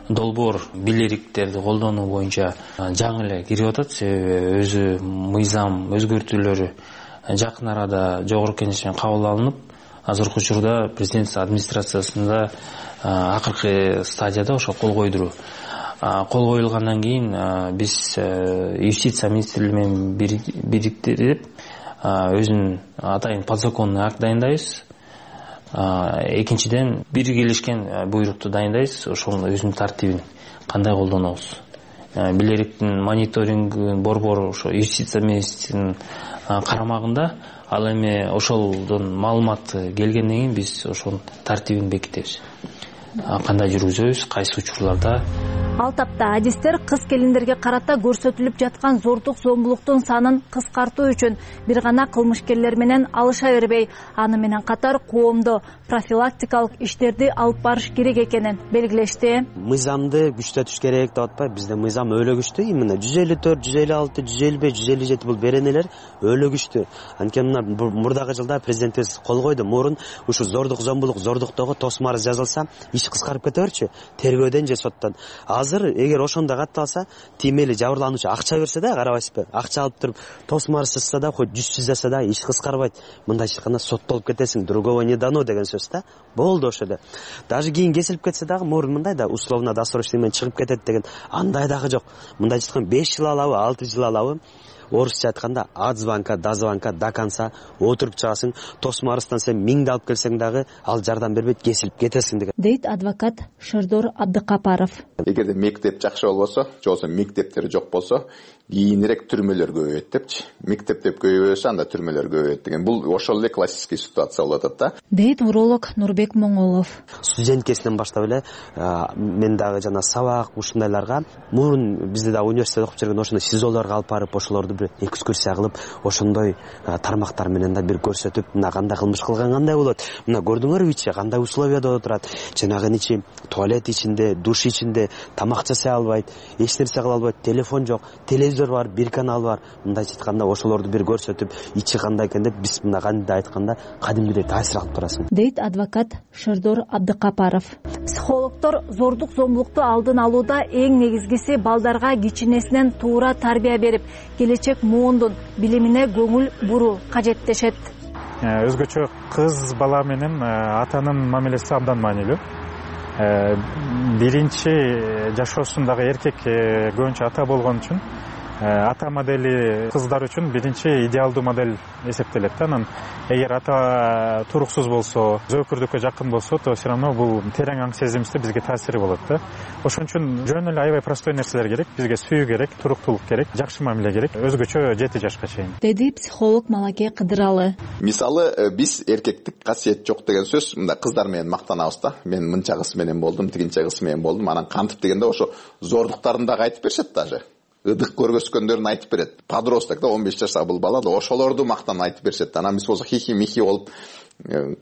долбоор билериктерди колдонуу боюнча жаңы эле кирип атат. Себеби өзү мыйзам өзгөртүүлөрү жакын арада жогорку кеңеш менен кабыл алынып, азыркы учурда президент администрациясында акыркы стадияда ошо кол койдуруу. Кол коюлгандан кийин биз юстиция министрлиги менен бириктирип өзүнүн атайын подзаконный акт дайындайбыз. Экинчиден биргелешкен буйрукту дайындайбыз, ошонун өзүнүн тартибин кандай колдонобуз. Билериктин мониторингин борбору ошо юстиция министринин карамагында, ал эми ошолдон маалымат келгенден кийин биз ошонун тартибин бекитебиз. Кандай жүргүзөбүз, кайсы учурларда. Ал тапта адистер кыз келиндерге карата көрсөтүлүп жаткан зордук зомбулуктун санын кыскартуу үчүн бир гана кылмышкерлер менен алыша бербей, аны менен катар коомдо профилактикалык иштерди алып барыш керек экенин белгилешти. Мыйзамды күчтөтүш керек деп атпайбы, бизде мыйзам өлө күчтүү. Именно 154, 156, 155, 157 бул беренелер өлө күчтүү. Анткени мына мурдагы жылда президентибиз кол койду. Мурун ушу зордук зомбулук, зордуктогу тосма арыз жазылса, иш кыскарып кете берчү, тергөөдөн же соттон. Азыр эгер ошондо катталса, тимели жабырлануучу акча берсе да, карабайсызбы, акча алып туруп тосма арыз жазса да, хоть 100 жазса да, иш кыскарбайт. Мындайча айтканда соттолуп кетесиң, другого не дано деген сөз да. Болду ошо эле. Даже кийин кесилип кетсе дагы мурун мындай да условно досрочный менен чыгып кетет деген андай дагы жок. Мындайча айтканда 5 жыл алабы, 6 жыл алабы. Орусча айтканда от звонка до звонка до конца отуруп чыгасың, тосма арыздан сен 1000 алып келсең дагы ал жардам бербейт, кесилип кетесиң деген. Дейт адвокат Шардор Абдыкапаров. Эгерде мектеп жакшы болбосо, же болбосо мектептер жок болсо, кийинирээк түрмөлөр көбөйөт депчи. Мектептер көбөйсө анда түрмөлөр көбөйөт деген. Бул ошол эле классический ситуация болуп атат да. Дейт уролог Нурбек Моңолов. Студенткесинен баштап эле мен дагы жана сабак ушундайларга мурун бизде да университетте окуп жүргөн ошондой СИЗОлорго алып барып, ошолорду бир экскурсия кылып, ошондой тармактар менен да бир көрсөтүп, мына кандай кылмыш кылган кандай болот, мына көрдүңөрбү ичи кандай условияда отурат, жанагы ичи туалет ичинде, душ ичинде, тамак жасай албайт, эч нерсе кыла албайт, телефон жок, телевизор бар, бир канал бар. Мындайча айтканда ошолорду бир көрсөтүп, ичи кандай экен деп биз мына кандай айтканда кадимгидей таасир алып турасың. Дейт адвокат Шардор Абдыкапаров. Психологдор зордук зомбулукту алдын алууда эң негизгиси балдарга кичинесинен туура тарбия берип, келечек муундун билимине көңүл буруу кажет дешет. Өзгөчө кыз бала менен атанын мамилеси абдан маанилүү. Биринчи жашоосундагы эркек көбүнчө ата болгон үчүн ата модели кыздар үчүн биринчи идеалдуу модель эсептелет да. Анан эгер ата туруксуз болсо, зөөкүрдүккө жакын болсо, то все равно бул терең аң сезимибизде бизге таасири болот да. Ошон үчүн жөн эле аябай простой нерселер керек. Бизге сүйүү керек, туруктуулук керек, жакшы мамиле керек, өзгөчө 7 жашка чейин. Деди психолог Малаке Кыдыралы. Мисалы, биз эркектик касиет жок деген сөз, мында кыздар менен мактанабыз да. Мен мынча кыз менен болдум, тигинче кыз менен болдум, анан кантип дегенде ошо зордуктарын дагы айтып беришет даже. Ыдык көргөзгөндөрүн айтып берет. Подросток да 15 жаштагы бул бала да ошолорду мактан айтып беришет. Анан биз болсо хихи-михи болуп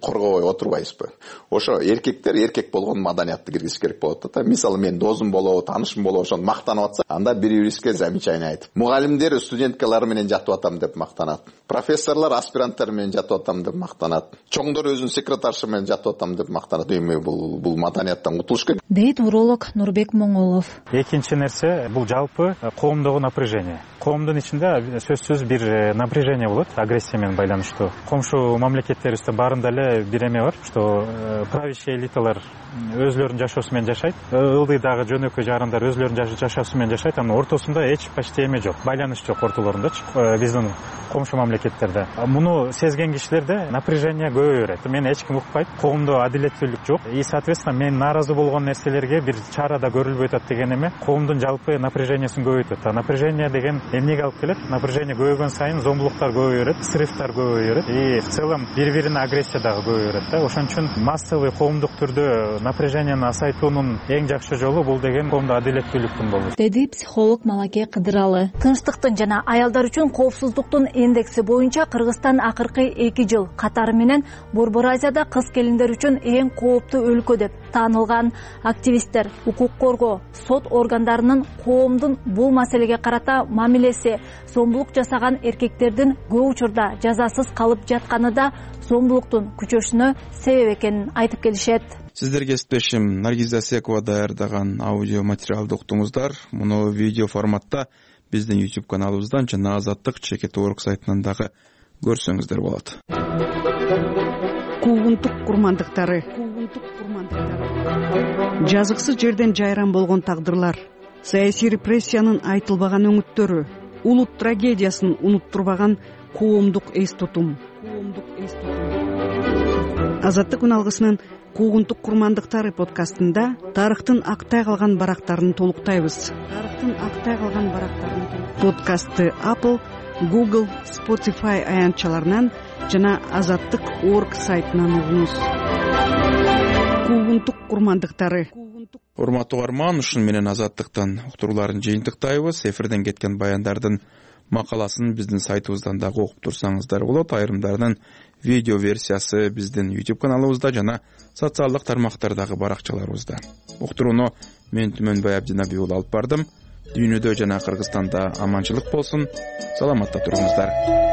коргобой отурбайбызбы. Ошо эркектер эркек болгон маданиятты киргизиш керек болот да. Мисалы мен досум болобу, таанышым болобу, ошону мактанып атса, анда бири-бирибизге замечание айтып. Мугалимдер студенткалар менен жатып атам деп мактанат. Профессорлор аспиранттар менен жатып атам деп мактанат. Чоңдор өзүнүн секретаршы менен жатып атам деп мактанат. Эми бул маданияттан кутулуш керек. Дейт уролог Нурбек Моңолов. Экинчи нерсе бул жалпы коомдогу напряжение. Коомдун ичинде сөзсүз бир напряжение болот, агрессия менен байланыштуу. Комшу мамлекеттерибизде баарында эле бир эме бар, что правящий элиталар өзлөрүнүн жашоосу менен жашайт, ылдыйдагы жөнөкөй жарандар өзлөрүнүн жашоосу менен жашайт, анын ортосунда эч почти эме жок, байланыш жок ортолорундачы, биздин комшу мамлекеттерде. Муну сезген кишилерде напряжение көбөйө берет. Мени эч ким укпайт, коомдо адилеттүүлүк жок. И соответственно мен нааразы болгон нерселерге бир чара да көрүлбөй атат деген эме коомдун жалпы напряжениясын көбөйтөт. Напряжение деген эмнеге алып келет? Напряжение көбөйгөн сайын зомбулуктар көбөйө берет, срывтар көбөйө берет и в целом бири-бирине агрессия дагы көбөйө берет да. Ошон үчүн массовый коомдук түрдө напряженияны азайтуунун эң жакшы жолу бул деген коомдо адилеттүүлүктүн болушу. Деди психолог Малаке Кыдыралы. Тынчтыктын жана аялдар үчүн коопсуздуктун индекси боюнча Кыргызстан акыркы 2 жыл катары менен Борбор Азияда кыз келиндер үчүн эң кооптуу өлкө деп таанылган. Активисттер укук коргоо, сот органдарынын коомдун бул маселеге карата мамилеси, зомбулук жасаган эркектердин көп учурда жазасыз калып жатканы да зомбулуктун күчөшүнө себеп экенин айтып келишет. Сиздерге кесиптешим Наргиз Асекова даярдаган аудио материалды уктуңуздар. Муну видео форматта биздин YouTube каналыбыздан жана Азаттык @org сайтынан дагы көрсөңүздөр болот. Куугунтук курмандыктары. Жазыксыз жерден жайран болгон тагдырлар, саясий репрессиянын айтылбаган өңүттөрү, улут трагедиясын унуттурбаган коомдук эс тутум. Азаттык үналгысынын куугунтук курмандыктары подкастында тарыхтын актай калган барактарын толуктайбыз. Подкастты Apple, Google, Spotify аянтчаларынан жана azattik.org сайтынан угуңуз. Куугунтук курмандыктары. Урматтуу угарман, ушун менен Азаттыктан уктурууларын жыйынтыктайбыз. Эфирден кеткен баяндардын макаласын биздин сайтыбыздан дагы окуп турсаңыздар болот. Айрымдарынын видео версиясы биздин YouTube каналыбызда жана социалдык тармактардагы баракчаларыбызда. Уктурууну мен Түмөнбай Абдинабий уулу алып бардым. Дүйнөдө жана Кыргызстанда аманчылык болсун. Саламатта туруңуздар.